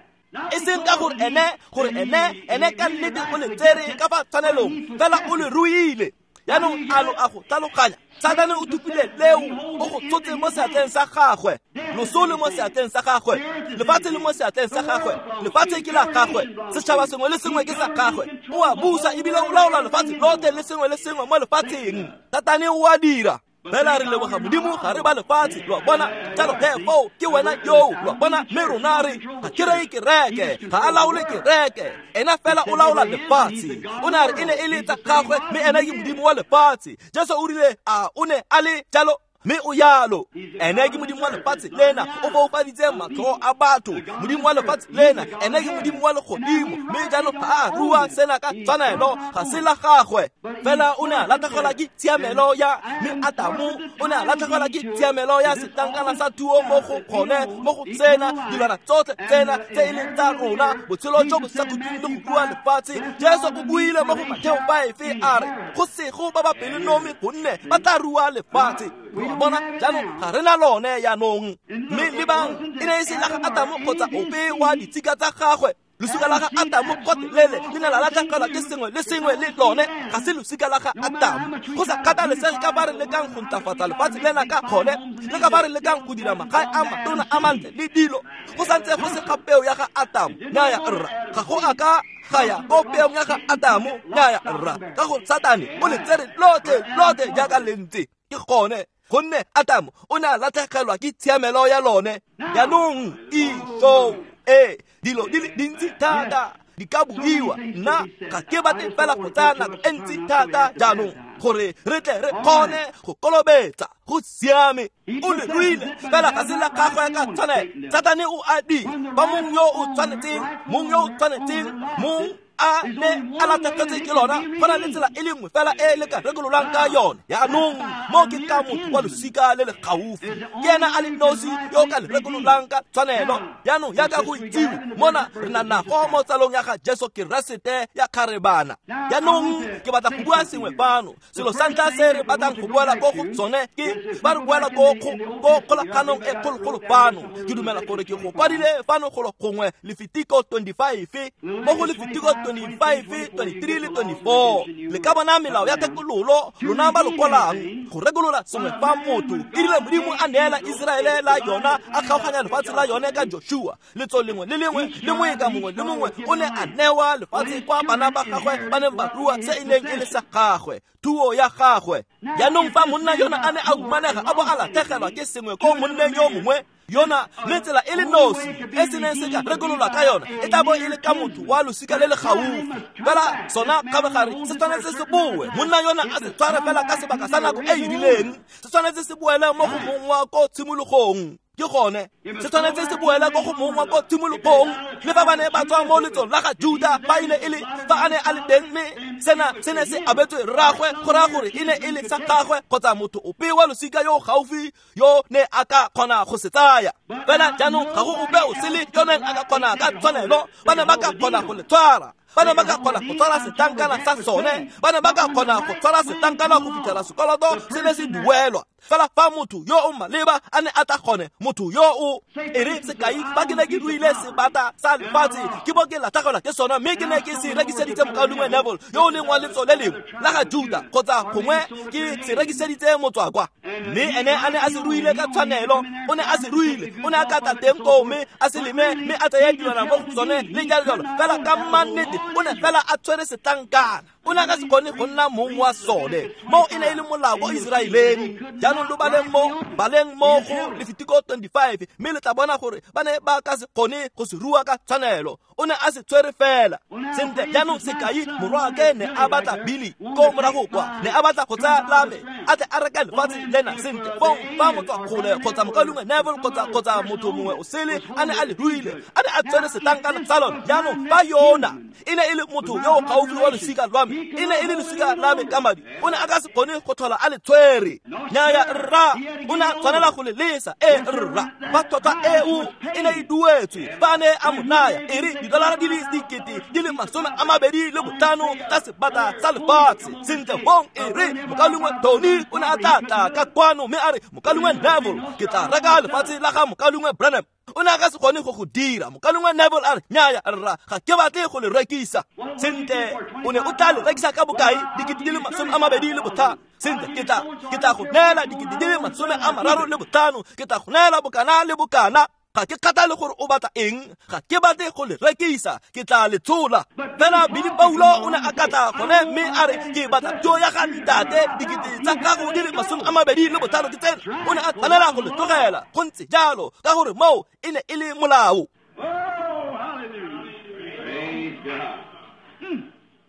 E seng ka gore ene, gore ene, ene ka nnete o le tsere ka fa tshwanelong, fela o le ruile. Jaanong a lo a go tlhaloganya Satane o thupile leo, o go tshotse mo seatleng sa gagwe. Loso le mo seatleng sa gagwe, lefatshe le mo seatleng sa gagwe, lefatshe ke la gagwe, setšhaba sengwe le sengwe ke sa gagwe. O a busa ebile o laola lefatshe lotlhe le sengwe le sengwe mo lefatsheng. Satane o a dira. Fela re leboga Modimo ga re ba lefatshe, lo a bona. Jalo he foo ke wena yoo, lo a bona. Mme rona re ga ke reye kereke, ga a laole kereke, ena fela o laola lefatshe. O ne a re e ne e le tsa gagwe, mme ena ke Modimo wa lefatshe. Jesu o rile a o ne a le jalo, mme o yalo. Ene ke Modimo wa lefatshe lena, o foufaditse matlho a batho. Modimo wa lefatshe lena, ene ke Modimo wa legodimo. Mme jaanong ga a rua sena ka tshwanelo, ga se la gagwe. Fela o ne a latlhegelwa ke tshiamelo ya, mme Adamu o ne a latlhegelwa ke tshiamelo ya setlankana sa thuo mo go gone, mo go tsena dilwana tsotlhe tsena tse e leng tsa rona, botshelo jo bo sa khutleng le go rua lefatshe. Jesu o buile mo go Mateo five a re, go sego ba ba pelonomi gonne ba tla rua lefatshe. Bona jaanong ga re na lone jaanong. Mme lebang, e ne e se la ga Adamu kgotsa ope wa ditshika tsa gagwe. Losika la ga Adamu gotlhelele le ne la latlhegelwa ke sengwe le sengwe le lone, ga se losika la ga Adamu. Go sa kgathalesege ka ba re lekang go ntlafatsa lefatshe lena ka gone, le ka ba re lekang go dira magae a matona a mantle le dilo, go santse go se ga peo ya ga Adamu. Nnyaya rra, ga go a ka ga ya ko peong ya ga Adamu. Nnyaya rra, ka go Satane o le tsere lotlhe lotlhe jaaka le ntse. Ke gone gonne Adamu o ne a latlhegelwa ke tshiamelo ya lone. Jaanong iso e dilo di le dintsi thata di ka buiwa. Nna ga ke batle fela go tsaya nako e ntsi thata jaanong gore re tle re kgone go kolobetsa. Go siame, o le ruile fela ga se la gagwe ka tshwanelo. Satane o a dira ba mong yo o tshwanetseng, mong yo o tshwanetseng, mong a ne a latlhegetswe ke lona. Go na le tsela e le nngwe fela e le ka rekololang ka yone. Jaanong mo ke ka motho wa losika le le gaufi, ke ena a le nosi yo o ka le rekololang ka tshwanelo. Jaanong jaaka go itsiwe mona re na nago mo tsalong ya ga Jesu Keresete ya kgarebana. Jaanong ke batla go bua sengwe fano. Selo sa ntlha se re batlang go buela ko go tsone ke ba re buela ko ko kgolaganong e kgologolo fano. Ke dumela gore ke go kwadile fano golo gongwe Lefitiko twenty-five, mo go Lefitiko twenty-five, twenty-three le twenty-four. Le ka bona melao ya thekololo lona ba lo kwalang go rekolola sengwe fa motho. E rile Modimo a neela Iseraele la yona, a kgaoganya lefatshe la yone ka Joshua. Letso lengwe le lengwe le moeka mongwe le mongwe o ne a newa lefatshe kwa bana ba gagwe ba neng ba rua se e neng e le sa gagwe, thuo ya gagwe. Jaanong fa monna yona a ne a humanega a bo a latlhegelwa ke sengwe ko monneng yo mongwe yona, mme tsela e le nosi e se neng se ka rekolola ka yona e tla bo e le ka motho wa losika le le gaufi. Fela sona kgabagare se tshwanetse se boe. Monna yona a se tshware fela ka sebaka sa nako e e rileng, se tshwanetse se boele mo go mong wa ko tshimologong. Ke gone se tshwanetse se boele ko go mong wa ko tshimologong. Le fa ba ne ba tswa mo letsong la ga Juda, ba ile e le fa a ne a le teng, mme sena se ne se abetswe rraagwe, go raya gore e ne e le sa gagwe kgotsa motho ope wa losika yo gaufi yo ne a ka kgona go se tsaya. Fela jaanong ga go ope o sele yo neng a ka kgona ka tshwanelo. Ba ne ba ka kgona go le tshwara, ba ne ba ka kgona go tshwara setlankana sa sone, ba ne ba ka kgona go tshwara setlankana go fitlhela sekoloto se ne se duelwa. Fela fa motho yo o maleba a ne a tla kgone, motho yo o e re sekai, fa ke ne ke ruile sebata sa lefatshe, ke bo ke latlhegelwa ke sona, mme ke ne ke se rekiseditse mokaulengwe Neville yo o leng wa letso le lengwe la ga Juda, kgotsa gongwe ke se rekiseditse motswakwa, mme ene a ne a se ruile ka tshwanelo. O ne a se ruile, o ne a ka tla teng koo mme a se leme, mme a tseye dilwana mo go tsone le jalo jalo. Fela ka mannete o ne fela a tshwere setlankana, o ne a ka se kgone go nna mong wa sone. Mo e ne e le molao ko Iseraeleng. Jaanong lo baleng mo, baleng mo go Lefitiko twenty-five, mme le tla bona gore ba ne ba ka se kgone go se rua ka tshwanelo. O ne a se tshwere fela. Sentle jaanong sekai, morwaake ne a batla Billy ko morago kwa, ne a batla go tsaya la me a tle a reke lefatshe lena. Sentle fong fa motswa kgole kgotsa mokaulengwe Neville kgotsa kgotsa motho mongwe o sele a ne a le ruile, a ne a tshwere setlankana sa lone. Jaanong fa yona e ne e le motho yo o gaufi wa losika lwa me, e ne e le losika la me ka madi, o ne a ka se kgone go tlhola a le tshwere. Nnyaya rra, o ne a tshwanela go le lesa. E rra, fa tlhotlhwa eo e ne e duetswe, fa a ne a mo naya e re didolara di le dikete di le masome a mabedi le botlhano tsa sebata sa lefatshe. Sentle fong e re mokaulengwe Tony o ne a tla tla ka kwano mme a re, mokaulengwe Neville, ke tla reka lefatshe la ga mokaulengwe Branham. O ne a ka se kgone go go dira. Mokaulengwe Neville a re, nnyaya rra, ga ke batle go le rekisa. Sentle, o ne o tla le rekisa ka bokae? Dikete di le masome a mabedi le botlhano. Sentle, ke tla ke tla go neela dikete di le masome a mararo le botlhano, ke tla go neela bokana le bokana. Ga ke kgathale gore o batla eng, ga ke batle go le rekisa, ke tla le tshola. Fela Billy Paulo o ne a katla gone mme a re ke batla thuo ya ga ntate, dikete tsa gago di le masome a mabedi le botlhano ke tsena. O ne a tshwanela go le tlogela, go ntse jalo, ka gore moo e ne e le molao.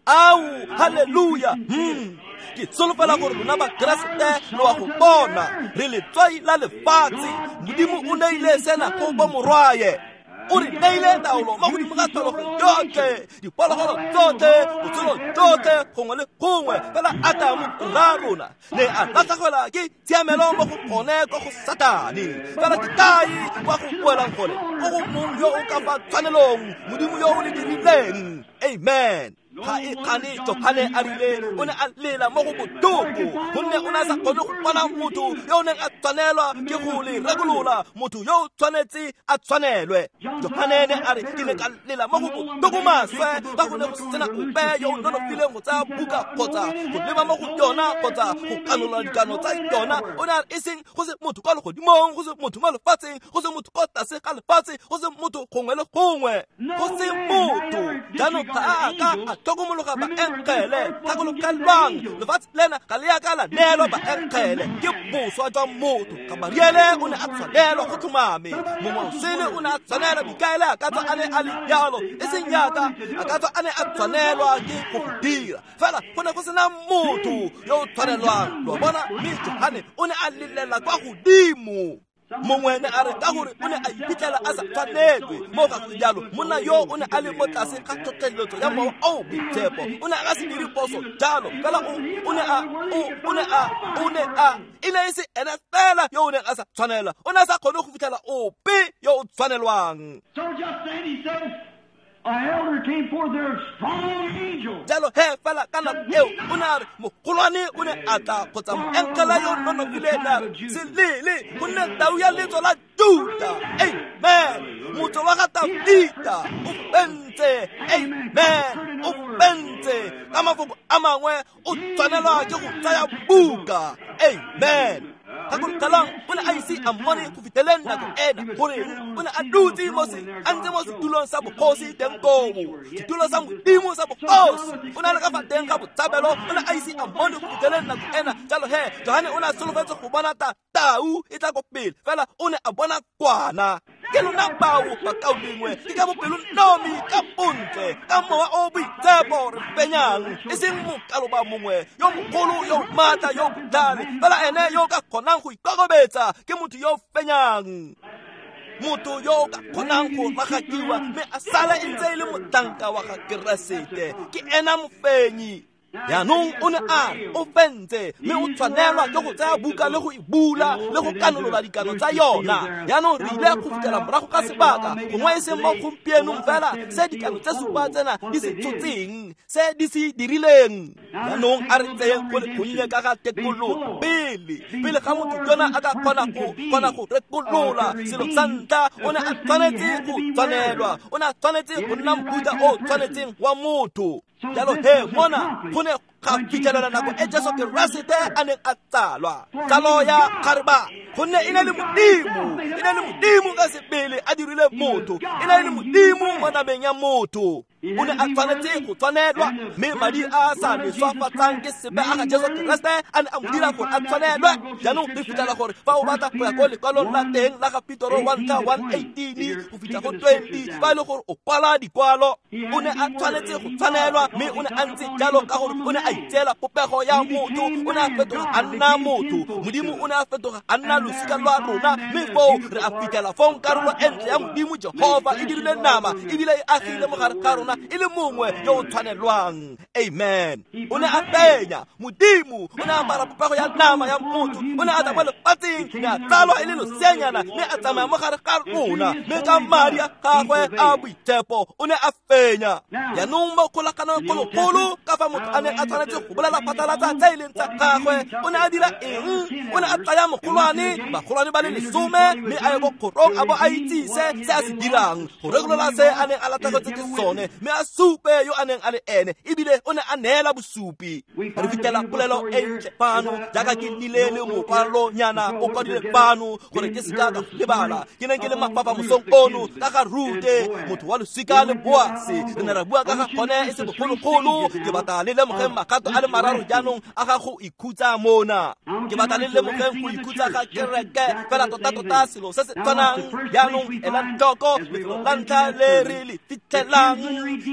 Ao, haleluya. Hmm. Ke solofela gore lona Bakeresete lo a go bona, re letswai la lefatshe. Modimo o neile sena go bo morwaye. O re neile taolo mo godimo ga tlholego yotlhe, diphologolo tsotlhe, botshelo tsotlhe, gongwe le gongwe. Fela Atamo rra rona ne a latlhegelwa ke tshiamelo mo go gone kwa go Satane. Fela ke kae kwa go boelang gone? Ko go mong yo o ka fa tshwanelong, Modimo yo o le dirileng. Amen. Ga e kgane Johane a rile o ne a lela mo go botlhoko, gonne o ne a sa kgone go bona motho yo o neng a tshwanelwa ke go le rekolola, motho yo o tshwanetse a tshwanelwe. Johane ne a re ke ne ka lela mo go botlhoko maswe, ka go ne go sena ope yo o nonofileng go tsaya buka kgotsa go leba mo go yona kgotsa go kanola dikano tsa yona. O ne a re e seng go se motho kwa legodimong, go se motho mo lefatsheng, go se motho kwa tlase ga lefatshe, go se motho gongwe le gongwe, go se motho. Jaanong ga a ka a tlhokomologa baengele, gakologelwang lefatshe lena ga le a ka la neelwa baengele, ke boswa jwa motho. Gamariele o ne a tshwanelwa go tlhomame, mongwe o sele o ne a tshwanelwa, Mikaele a ka tswa a ne a le jalo, e seng yaka a ka tswa a ne a tshwanelwa ke go go dira, fela go ne go sena motho yo o tshwanelwang. Lo bona, mme Johane o ne a lelela kwa godimo. Mongwe ne a re ka gore o ne a iphitlhela a sa tshwanelwe mo ga go jalo, monna yo o ne a le mo tlase ga tlhotlheletso ya mowa o boitshepo. O ne a ka se dire poso jalo, fela o o ne a o o ne a o ne a e ne e se ene fela yo o neng a sa tshwanelwa, o ne a sa kgone go fitlhela ope yo o tshwanelwang. So just then he said, an elder came forth there, a strong angel. Jalo he fela ka nako eo o ne a re mogolwane o ne a tla kgotsa moengele yo nonofileng ne a re se lele, gonne tau ya letso la Juta, amen, motho wa ga Dafita o fentse, amen, o fentse. Ka mafoko a mangwe o tshwanelwa ke go tsaya buka, amen. Gakologelwang o ne a ise a mmone go fitlheleng nako ena, gore o ne a dutse mo se a ntse mo setulong sa bogosi teng koo, setulo sa Modimo sa bogosi. O ne a le ka fa teng ga botshabelo, o ne a ise a mmone go fitlheleng nako ena. Jalo he Johane o ne a solofetse go bona ta tau e tla ko pele, fela o ne a bona kwana. Ke lona bao bakaulengwe, ke ka bopelonomi, ka bontle, ka mowa o boitshepo re fenyang, e seng mokaloba mongwe yo mogolo yo maatla yo botlhale, fela ene yo ka kgonang go ikokobetsa ke motho yo fenyang, motho yo o ka kgonang go ragakiwa mme a sala e ntse e le motanka wa ga Keresete, ke ena mofenyi. Jaanong o ne a re o fentse, mme o tshwanelwa ke go tsaya buka le go e bula le go kanolola dikano tsa yona. Jaanong re ile go fitlhela morago ga sebaka, gongwe e seng mo gompienong fela, se dikano tse supa tsena di se tshotseng, se di se dirileng. Jaanong a re tseyeng go le gonnye ka ga tekolo pele, pele ga motho yona a ka kgona go kgona go rekolola selo sa ntlha, o ne a tshwanetse go tshwanelwa, o ne a tshwanetse go nna mofuta o tshwanetseng wa motho. Jalo he mona go ne ga fitlhelela nako e Jesu Keresete a neng a tsalwa, tsalo ya kgareba, gonne e ne le Modimo, e ne le Modimo ka sebele a dirile motho, e ne le Modimo mo nameng ya motho. O ne a tshwanetse go tshwanelwa, mme madi a a sa leswafatsang ke sebe a ga Jesu Keresete a ne a mo dira gore a tshwanelwe. Jaanong re fitlhela gore fa o batla go ya ko lekwalong la teng la ga Petoro wa ntlha one eighteen go fitlha go twenty, fa e le gore o kwala dikwalo, o ne a tshwanetse go tshwanelwa, mme o ne a ntse jalo ka gore o ne a itseela popego ya motho, o ne a fetoga a nna motho. Modimo o ne a fetoga a nna losika lwa rona, mme foo re a fitlhela fong karolo e ntle ya Modimo Jehova e dirile nama ebile e agile mo gare ga rona e le mongwe yo o tshwanelwang. Amen. O ne a fenya Modimo, o ne a apara popego ya nama ya motho, o ne a tla mo lefatsheng, ne a tsalwa e le loseanyana, mme a tsamaya mo gare ga rona, mme ka madi a gagwe a boitshepo o ne a fenya. Jaanong mo kgolaganong kgologolo, ka fa motho a neng a tshwanetse go bolela phatlalatsa tse e leng tsa gagwe, o ne a dira eng? O ne a tsaya mogolwane, bagolwane ba le lesome, mme a ye ko kgorong a bo a itsise se a se dirang, go rekolola se a neng a latlhegetswe ke sone, mme a supe yo a neng a le ene, ebile o ne a neela bosupi. Re fitlhela polelo e ntle fano, jaaka ke nnile le mokwalonyana o kwadile fano gore ke seka ka lebala. Ke neng ke le mafafa mosong ono ka ga Rute, motho wa losika le Boase. Re ne ra bua ka ga gone e se bogologolo. Ke batla le lemogeng magato a le mararo jaanong a ga go ikhutsa mona. Ke batla le lemogeng go ikhutsa ga kereke fela tota-tota selo se se tshwanang. Jaanong elang tlhoko lefelo la ntlha le re le fitlhelang,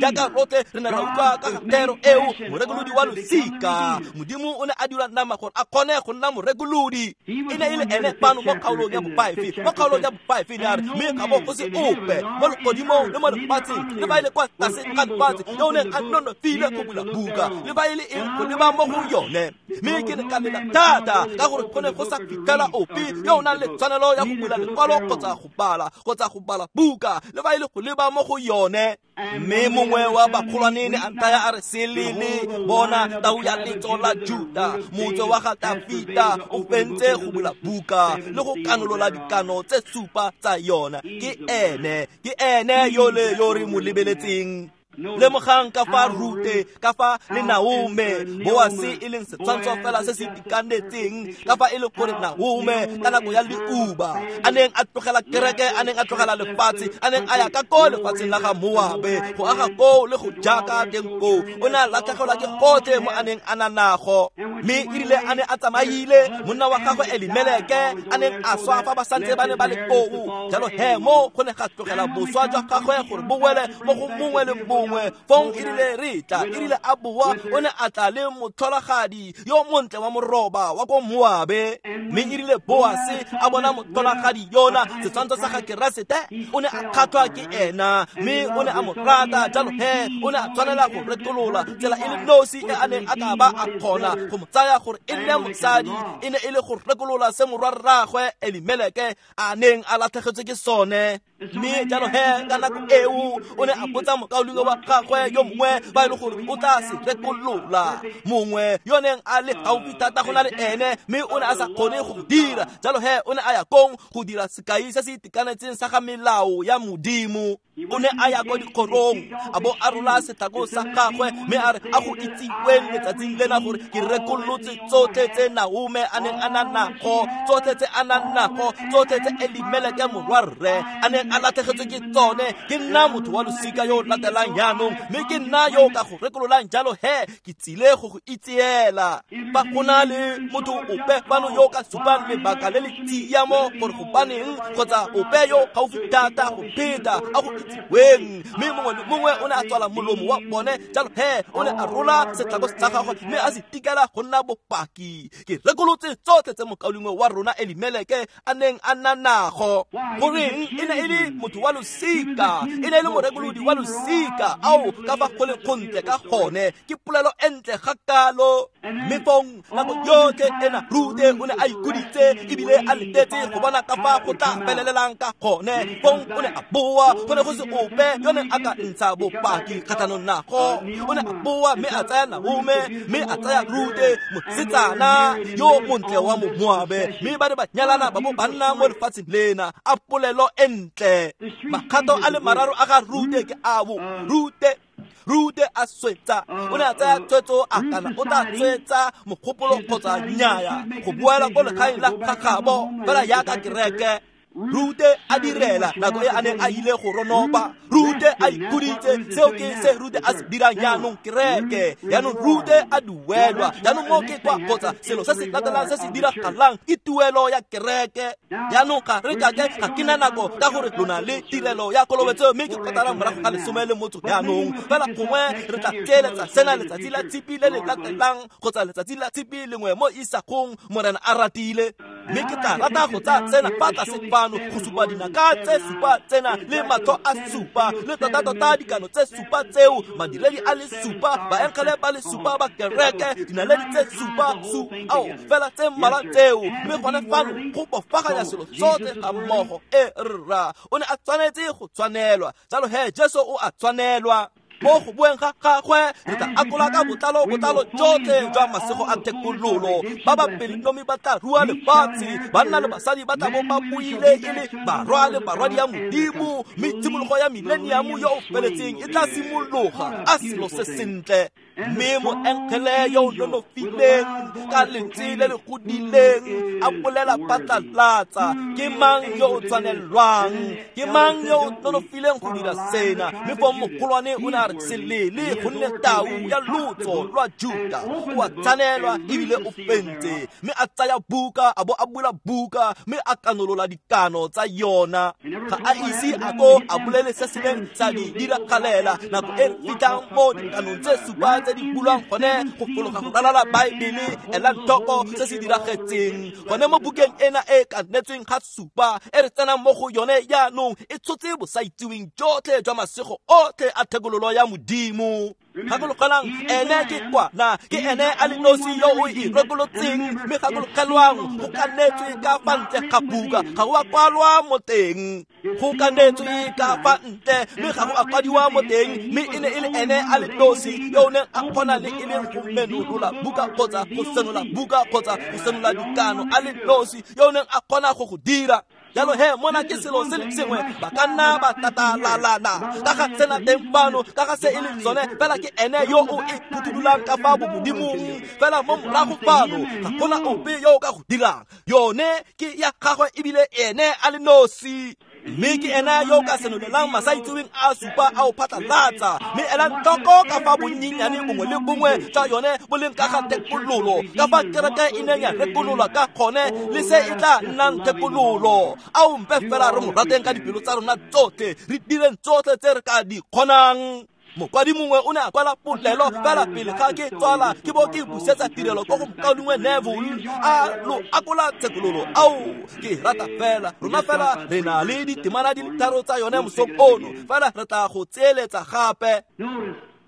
jaaka rotlhe re ne ra utlwa ka ga thero eo, morekolodi wa losika. Modimo o ne a dira nama gore a kgone go nna morekolodi. E ne e le ene fano mo kgaolong ya bofive, mo kgaolong ya bofive ne a re, mme ga bo go se ope mo legodimong le mo lefatsheng, le ba e le kwa tlase ga lefatshe, yo o neng a nonofile go bula buka, le ba e le eng go leba mo go yone. Mme ke ne ka lela thata ka gore go ne go sa fitlhela ope yo o nang le tshwanelo ya go bula lekwalo kgotsa go bala kgotsa go bala buka, le ba e le go leba mo go yone. Mme mongwe wa bagolwane ne a nthaya a re, se lele, bona tau ya letso la Juda, motse wa ga Dafita, o fentse go bula buka le go kanolola dikano tse supa tsa yona. Ke ene, ke ene yole yo re mo lebeletseng. Lemogang ka fa Rute, ka fa le Naome, Boase e leng setshwantsho fela se se itekanetseng, ka fa e le gore Naome ka nako ya leuba a neng a tlogela kereke, a neng a tlogela lefatshe, a neng a ya ka ko lefatsheng la ga Moabe go aga koo le go jaka teng koo, o ne a latlhegelwa ke gotlhe mo a neng a na nago. Mme e rile a ne a tsamaile, monna wa gagwe Elimeleke a neng a swa fa ba santse ba ne ba le koo. Jalo he mo go ne ga tlogela boswa jwa gagwe gore bo wele mo go mongwe le mongwe. Fong e rile re tla, e rile a boa, o ne a tla le motlholagadi yo montle wa moroba wa ko Moabe. Mme e rile Boase a bona motlholagadi yona, setshwantsho sa ga Keresete, o ne a kgatlhwa ke ena, mme o ne a mo rata. Jalo he o ne a tshwanela go retolola tsela e le nosi e a neng a ka ba a kgona go mo tsaya gore e nne mosadi, e ne e le go rekolola se morwarraagwe Elimeleke a neng a latlhegetswe ke sone. Mme jalo he ka nako eo o ne a botsa mokaulengwe wa gagwe yo mongwe ba e le gore o tla se rekolola, mongwe yo neng a le gaufi thata go na le ene, mme o ne a sa kgone go dira. Jalo he o ne a ya kong go dira sekai se se itekanetseng sa ga melao ya Modimo. O ne a ya ko dikgorong, a bo a rola setlhako sa gagwe, mme a re, a go itsiweng letsatsing lena gore ke rekolotse tsotlhe tse Naome a neng a na nago, tsotlhe tse a nang nago, tsotlhe tse Elimeleke morwarre a neng a latlhegetswe ke tsone. Ke nna motho wa losika yo o latelang jaanong, mme ke nna yo o ka go rekololang. Jalo he ke tsile go go itseela. Fa go na le motho ope fano yo o ka supang lebaka le le tshiamo gore gobaneng, kgotsa ope yo gaufi thata go pheta a go itsiweng. Mme mongwe le mongwe o ne a tswala molomo wa bone. Jalo he o ne a rola setlhako sa gagwe mme a se tikela go nna bopaki. Ke rekolotse tsotlhe tse mokaulengwe wa rona Elimeleke a neng a na nago. Goreng e ne e le motho wa losika, e ne e le morekolodi wa losika. Ao ka fa go le gontle ka gone, ke polelo e ntle ga kalo. Mme fong nako yotlhe ena Rute o ne a ikhuditse ebile a letetse go bona ka fa go tla felelelang ka gone. Fong o ne a boa, go ne go se ope yo neng a ka ntsha bopaki kgatlhanong nago. O ne a boa mme a tsaya Naome, mme a tsaya Rute, mosetsana yo montle wa Moabe, mme ba ne ba nyalana ba bo ba nna mo lefatsheng lena. A polelo e ntle. Makgato a le mararo a ga Rute ke ao. Rute Rute a swetsa, o ne a tsaya tshwetso a kana o tla tswetsa mogopolo kgotsa nnyaya go boela ko legaeng la gagabo fela jaaka kereke. Rute a direla nako e a neng a ile go ronopa. Rute a ikhuditse, seo ke se Rute a se dirang jaanong kereke. Jaanong Rute a duelwa. Jaanong mo ke kwa kgotsa selo se se latelang se se diragalang ke tuelo ya kereke. Jaanong ga re kake ga ke na nako ka gore lona le tirelo ya kolobetso, mme ke kotara morago ga lesome le motho jaanong. Fela gongwe re tla tseeletsa sena letsatsi la tshipi le le latelang kgotsa letsatsi la tshipi lengwe mo isagong, Morena a ratile. Mme ke tla rata go tsaya tsena fa tlase fano go supa dinaka tse supa tsena le matlho a supa le tota-tota dikano tse supa tseo, madiredi a le supa, baengele ba le supa ba kereke, dinaledi tse supa su ao fela tse mmalwa tseo. Mme gone fano go bofaganya selo tsotlhe ga mmogo. E rra, o ne a tshwanetse go tshwanelwa. Jalo he Jesu o a tshwanelwa. Mo go boeng ga gagwe re tla akola ka botlalo botlalo jotlhe jwa masego a thekololo. Ba ba pelonomi ba tla rua lefatshe, banna le basadi ba tla bo ba buile e le barwa le barwadi ya Modimo, mme tshimologo ya mileniamo yo o feletseng e tla simologa. A selo se sentle. Mme moengele yo o nonofileng ka lentswe le le godileng a bolela phatlalatsa, ke mang yo o tshwanelwang? Ke mang yo o nonofileng go dira sena? Mme foo mogolwane o ne a re selele, gonne tau ya lotso lwa Juta o a tshwanelwa ebile o fentse. Mme a tsaya buka, a bo a bula buka, mme a kanolola dikano tsa yona. Ga a ise a ko a bolele se se neng sa di diragalela nako e fitlhang mo dikanong tse supa tse di bulwang gone go fologa go ralala Baebele. Elang tlhoko se se diragetseng gone mo bukeng ena e kanetsweng ga supa e re tsenang mo go yone jaanong, e tshotse bosaitseweng jotlhe jwa masego otlhe a thekololo ya Modimo. Gakologelang, ene ke kwana, ke ene a le nosi yo o e rekolotseng. Mme gakologelwang, go kanetswe ka fa ntle ga buka, ga go a kwalwa mo teng. Go kanetswe ka fa ntle, mme ga go a kwadiwa mo teng. Mme e ne e le ene a le nosi yo o neng a kgona le e leng go menolola buka kgotsa go senola buka kgotsa go senola dikano, a le nosi yo o neng a kgona go go dira. Jalo he, mona ke selo se le sengwe, ba ka nna ba tatalalana ka ga tsena teng fano, ka ga se e leng sone, fela ke ene yo o e phuthulolang ka fa bomodimong. Fela mo morago fano ga gona ope yo o ka go dirang. Yone ke ya gagwe ebile ene a le nosi. Mme ke ena yo o ka senolelang masaitseweng a supa a o phatlalatsa. Mme elang tlhoko ka fa bonyenyane bongwe le bongwe jwa yone bo leng ka ga thekololo, ka fa kereke e neng ya rekololwa ka gone le se e tla nnang thekololo. Ao mpe fela re mo rateng ka dipelo tsa rona tsotlhe, re direng tsotlhe tse re ka di kgonang. Mokwadi mongwe o ne a kwala polelo fela pele ga ke tswala, ke bo ke busetsa tirelo ko go mokaulengwe Neville a lo akola thekololo. Ao, ke rata fela rona fela re na le ditemana di le tharo tsa yone mosong ono, fela re tla go tseeletsa gape.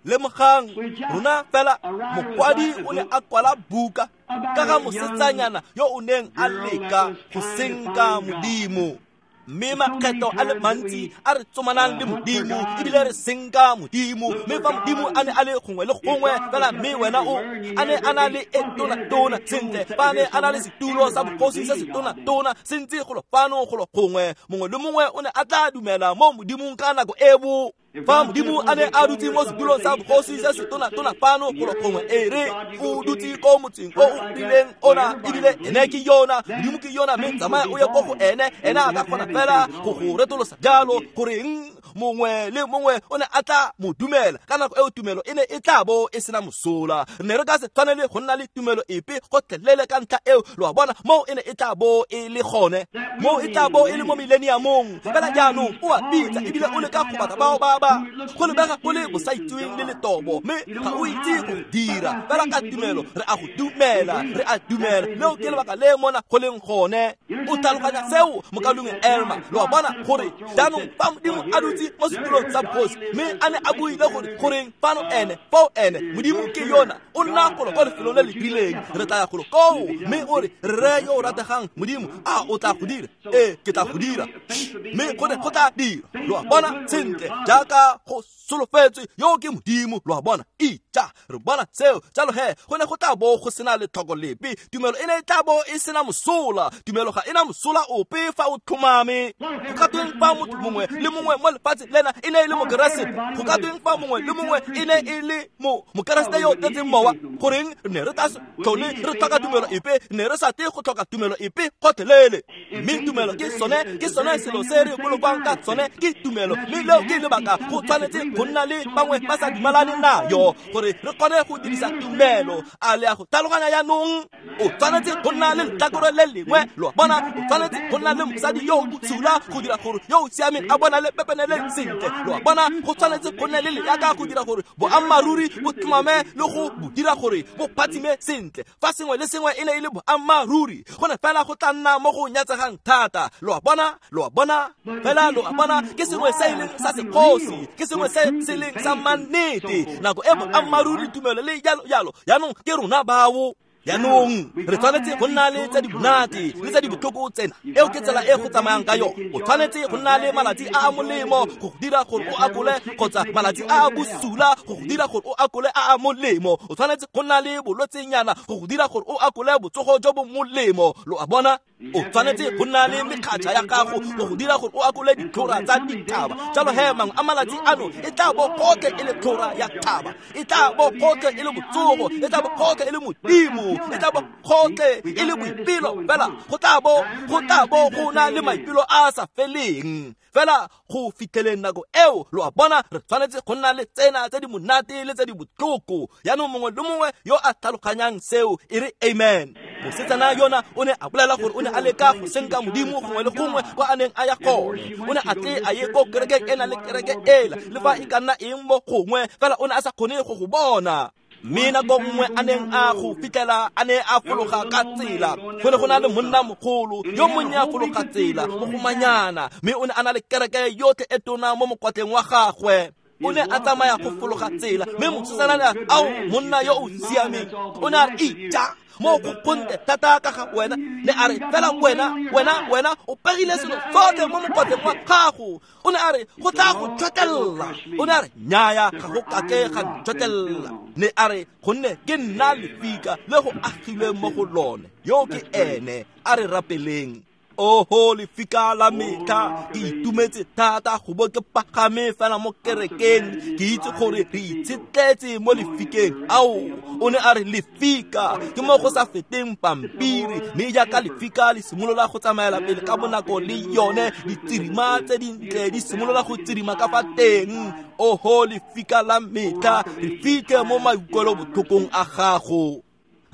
Lemogang, rona fela mokwadi o ne a kwala buka ka ga mosetsanyana yo o neng a leka go senka Modimo. Mme makgetho a le mantsi a re tsomanang le Modimo ebile re senka Modimo. Mme fa Modimo a ne a le gongwe le gongwe fela, mme wena o a ne a na le e tona-tona sentle, fa a ne a na le setulo sa bogosi se se tona-tona se ntse golo fano golo gongwe, mongwe le mongwe o ne a tla dumela mo Modimong ka nako eo. Fa Modimo a ne a dutse mo setulong sa bogosi se se tona-tona fano golo gongwe, e re o dutse ko motseng o o rileng ona, ebile ene ke yona, Modimo ke yona, mme tsamaya o ye ko go ene, ene a ka kgona fela go go retolosa jalo. Goreng mongwe le mongwe o ne a tla mo dumela ka nako eo, tumelo e ne e tla bo e sena mosola. Re ne re ka se tshwanele go nna le tumelo epe gotlhelele ka ntlha eo. Lo a bona, moo e ne e tla bo e le gone, moo e tla bo e le mo mileniamong. Fela jaanong o a bitsa ebile o leka go batla bao ba ba go lebega go le bosaitseweng le letobo, mme ga o itse go dira. Fela ka tumelo re a go dumela, re a dumela. Leo ke lebaka le mona go leng gone. O tlhaloganya seo, mokaulengwe Elma? Lo a bona gore jaanong fa Modimo a dutse mo setulong sa bogosi, mme a ne a buile gore goreng fano ene, foo ene, Modimo ke yona, o nna golo kwa lefelong le le rileng, re tla ya golo koo. Mme o re, rre yo o rategang Modimo, a o tla go dira? Ee, ke tla go dira. Mme go ne go tla dira. Lo a bona sentle jaaka go solofetswe, yo ke Modimo. Lo a bona, ija re bona seo. Jalo he, go ne go tla bo go sena letlhoko lepe, tumelo e ne e tla bo e sena mosola. Tumelo ga e na mosola ope fa o tlhomame. Go ka tweng fa motho mongwe le mongwe mo lefatsheng lena e ne e le mokeresete? Go ka tweng fa mongwe le mongwe e ne e le mo mokeresete yo o tletseng mowa? Goreng re ne re tla se tlhole re tlhoka tumelo epe, ne re sa tle go tlhoka tumelo epe gotlhelele. Mme tumelo ke sone, ke sone selo se re bolokwang ka sone, ke tumelo. Mme leo ke lebaka go tshwanetse go nna le bangwe ba sa dumalane nayo, gore re kgone go dirisa tumelo. A le a go tlhaloganya jaanong? O tshwanetse go nna le letlhakore le lengwe. Lo a bona, o tshwanetse go nna le mosadi yo o bosula go dira gore yo o siameng a bona le pepenele sentle. Lo a bona, go tshwanetse go nne le leaka go dira gore boammaaruri bo tlhomame le go bo dira gore bo phatsime sentle. Fa sengwe le sengwe e ne e le boammaaruri, go ne fela go tla nna mo go nyatsegang thata. Lo a bona, lo a bona, fela lo a bona, ke sengwe se e leng sa sekgosi, ke sengwe se se leng sa mannete. Nako e boammaaruri, tumelo le jalo jalo, jaanong ke rona bao. Jaanong re tshwanetse go nna le tse di monate le tse di botlhoko tsena. Eo ke tsela e go tsamayang ka yone. O tshwanetse go nna le malatsi a a molemo go go dira gore o akole, kgotsa malatsi a a bosula go go dira gore o akole a a molemo. O tshwanetse go nna le bolwetsenyana go go dira gore o akole botsogo jo bo molemo. Lo a bona? O tshwanetse go nna le mekgatšha ya gago go go dira gore o akole ditlhora tsa dithaba. Jalo he mangwe a malatsi ano e tla bo gotlhe e le tlhora ya thaba, e tla bo gotlhe e le botsogo, e tla bo gotlhe e le modimo, e tla bo gotlhe e le boipelo. Fela go tla bo go tla bo go na le maipelo a a sa feleng. Fela go fitlheleng nako eo, lo a bona, re tshwanetse go nna le tsena tse di monate le tse di botlhoko. Jaanong mongwe le mongwe yo a tlhaloganyang seo e re amen. Mosetsana yona o ne a bolela gore o ne a leka go senka modimo gongwe le gongwe kwa a neng a ya gone. O ne a tle a ye ko kerekeng ena le kereke ela, le fa e ka nna eng mo gongwe, fela o ne a sa kgone go go bona. Mme nako nngwe a neng a go fitlhela a ne a fologa ka tsela, go ne go na le monna mogolo yo monnye a fologa tsela mogomanyana, mme o ne a na le kereke yotlhe e tona mo mokwatleng wa gagwe. O ne a tsamaya go fologa tsela, mme mosetsana ne a re, ao monna yo o siameng. O ne a re, ija mo go gontle thata ka ga wena. Ne a re, fela wena, wena, wena o pegile selo sotlhe mo mokwatleng wa gago. O ne a re, go tla go tšhotlela. O ne a re, nnyaya, ga go kake ga ntšhotlela. Ne a re, gonne ke nna lefika le go agilweng mo go lone. Yo ke ene, a re rapeleng. Oho lefika la metlha, ke itumetse thata go bo ke pagame fela mo kerekeng. Ke itse gore re itshetletse mo lefikeng. Ao, o ne a re lefika ke mo go sa feteng pampiri, mme jaaka lefika le simolola go tsamaela pele ka bonako le yone ditsirima tse dintle di simolola go tsirima ka fa teng. Oho lefika la metlha, re fitlhe mo maikutlwelobotlhokong a gago.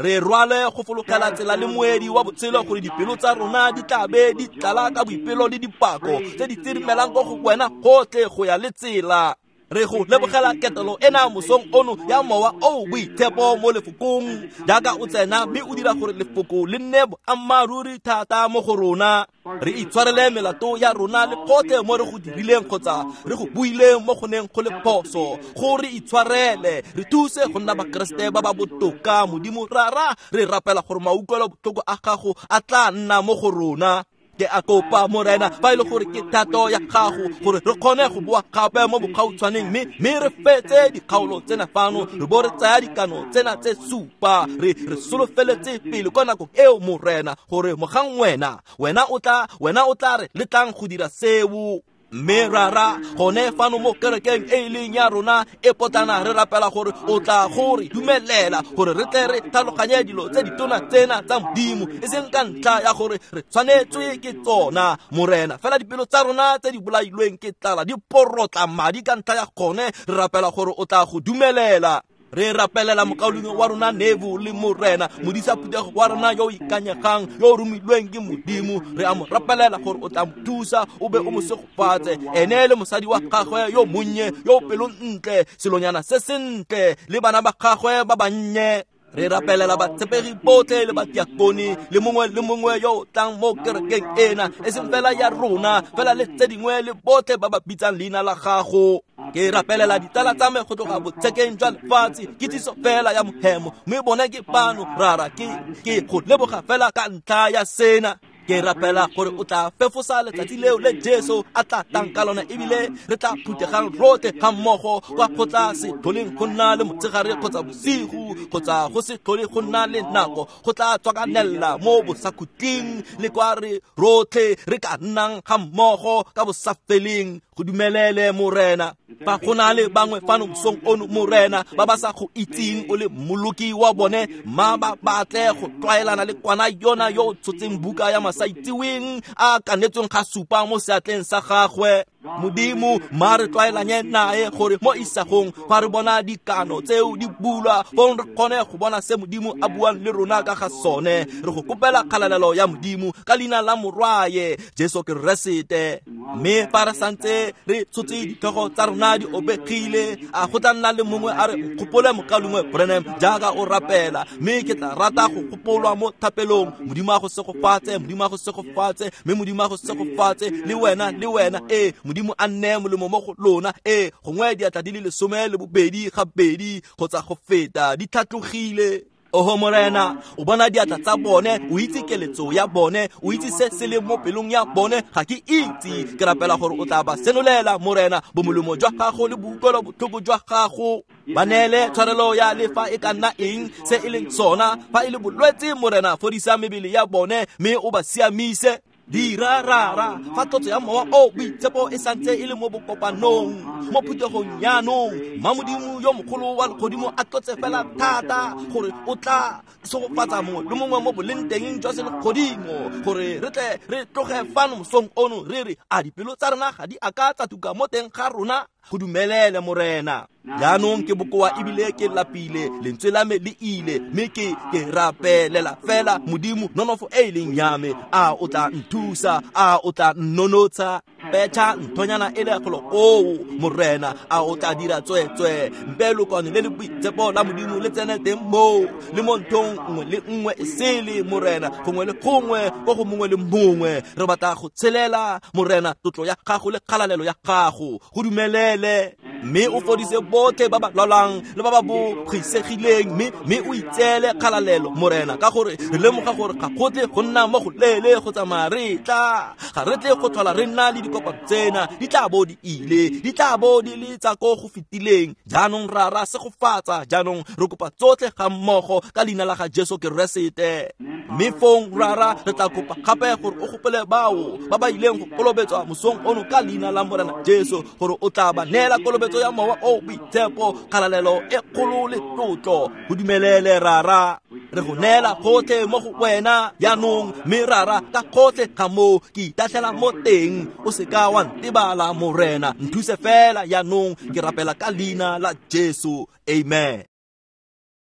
Re rwale go fologela tsela le moedi wa botshelo, gore dipelo tsa rona di tla be di tlala ka boipelo le dipako tse di tsirimelang ko go wena gotlhe go ya le tsela. Re go lebogela ketelo ena mosong ono ya mowa o boitshepo mo lefokong, jaaka o tsena mme o dira gore lefoko le nne boammaaruri thata mo go rona. Re itshwarele melato ya rona le gotlhe mo re go dirileng kgotsa re go buileng mo go neng go le phoso. Go re itshwarele, re thuse go nna bakeresete ba ba botoka. Modimo Rara, re rapela gore mautlwelobotlhoko a gago a tla nna mo go rona. Ke a kopa Morena, fa e le gore ke thato ya gago gore re kgone go boa gape mo bogautshwaneng, mme mme re fetse dikgaolo tsena fano, re bo re tsaya dikano tsena tse supa. Re re solofeletse pele kwa nakong eo Morena, gore mogang wena wena o tla wena o tla re letlang go dira seo. Mme Rara, gone fano mo kerekeng e e leng ya rona e potlana, re rapela gore o tla go re dumelela gore re tle re tlhaloganye dilo tse ditona tsena tsa Modimo, e seng ka ntlha ya gore re tshwanetswe ke tsona Morena, fela dipelo tsa rona tse di bolailweng ke tlala di porotla madi ka ntlha ya gone. Re rapela gore o tla go dumelela. Re rapelela mokaulengwe wa rona Nevo le Morena, modisa phuthego wa rona yo o ikanyegang, yo o romilweng ke Modimo. Re a mo rapelela gore o tla mo thusa, o be o mo segofatse, ene le mosadi wa gagwe yo monnye, yo pelontle, selonyana se sentle, le bana ba gagwe ba bannye. Re rapelela batshepegi botlhe le batiakone le mongwe le mongwe yo o tlang mo kerekeng ena, e seng fela ya rona, fela le tse dingwe le botlhe ba ba bitsang leina la gago. Ke rapelela ditsala tsa me go tloga botshekeng jwa lefatshe, kitsiso fela ya mohemo, mme bone ke bano. Rara, ke ke go leboga fela ka ntlha ya sena. Ke rapela gore o tla fefosa letsatsi leo le Jesu a tla tlang ka lona, ebile re tla phuthegang rotlhe ga mmogo kwa go tla se tlholeng go nna le motshegare kgotsa bosigo, kgotsa go se tlhole go nna le nako, go tla tswakanela mo bosakhutleng le kwa re rotlhe re ka nnang ga mmogo ka bosafeleng. Go dumelele Morena. Fa go na le bangwe fano mosong ono Morena ba ba sa go itseng o le mmoloki wa bone, mma ba batle go tlwaelana le kwana yona yo o tshotseng buka ya masaitseweng a kanetsweng ga supa mo seatleng sa gagwe. Modimo, mma re tlwaelanye nae gore mo isagong fa re bona dikano tseo di bulwa, fong re kgone go bona se Modimo a buang le rona ka ga sone. Re go kopela kgalalelo ya Modimo ka leina la Morwaye Jesu Keresete. Mme fa re santse re tshotse ditlhogo tsa rona di obegile, a go tla nna le mongwe a re nkgopole mokaulengwe Branham jaaka o rapela, mme ke tla rata go gopolwa mo thapelong. Modimo a go segofatse, Modimo a go segofatse, mme Modimo a go segofatse le wena le wena. Ee, Modimo a nne molemo mo go lona. Ee, gongwe diatla di le lesome le bobedi gabedi kgotsa go feta di tlhatlogile. Oho Morena, o bona diatla tsa bone, o itse keletso ya bone, o itse se se leng mo pelong ya bone, ga ke itse. Ke rapela gore o tla ba senolela Morena bomolemo jwa gago le boutlwelo botlhoko jwa gago. Ba neele tshwarelo ya lefa e ka nna eng se e leng sona, fa e le bolwetse Morena fodisa mebele ya bone mme o ba siamise. Dira rara fa tlotso ya mowa o boitshepo e santse e le mo bokopanong mo phuthegong jaanong, mma Modimo yo mogolo wa legodimo a tlotse fela thata gore o tla segofatsa mongwe le mongwe mo boleng teng jwa selegodimo, gore re tle re tloge fano mosong ono re re a dipelo tsa rona ga di a ka tsa tuka mo teng ga rona. Go dumelele Morena. Jaanong ke bokoa ebile ke lapile, lentswe la me le ile, mme ke ke rapelela fela Modimo nonofo e e leng ya me. A o tla nthusa, a o tla nnonotsha, petšha nthonyana e le golo koo Morena, a o tla dira tsweetswe mpe lokwane le le boitshepo la Modimo le tsene teng moo le mo nthong nngwe le nngwe e sele Morena, gongwe le gongwe ko go mongwe le mongwe. Re batla go tshelela Morena tlotlo ya gago le kgalalelo ya gago. Go dumelele mme o fodise botlhe ba ba lwalang le ba ba bogisegileng, mme mme o itseele kgalalelo Morena, ka gore re lemoga gore ga go tle go nna mo go leele go tsamaya re tla, ga re tle go tlhola re nna le dikopano tsena, di tla bo di ile, di tla bo di le tsa ko go fetileng. Jaanong rara segofatsa, jaanong re kopa tsotlhe ga mmogo ka leina la ga Jesu Keresete. Mme fong rara re tla kopa gape gore o gopole bao ba ba ileng go kolobetswa mosong ono ka leina la Morena Jesu, gore o tla ba neela kolobetso ya mowa o boitshepo, kgalalelo e kgolo le tlotlo. Go dumelele rara, re go neela gotlhe mo go wena jaanong, mme rara ka gotlhe ga moo ke itatlhela mo teng, o seka wa ntebala Morena, nthuse fela jaanong, ke rapela ka leina la Jesu. Amen.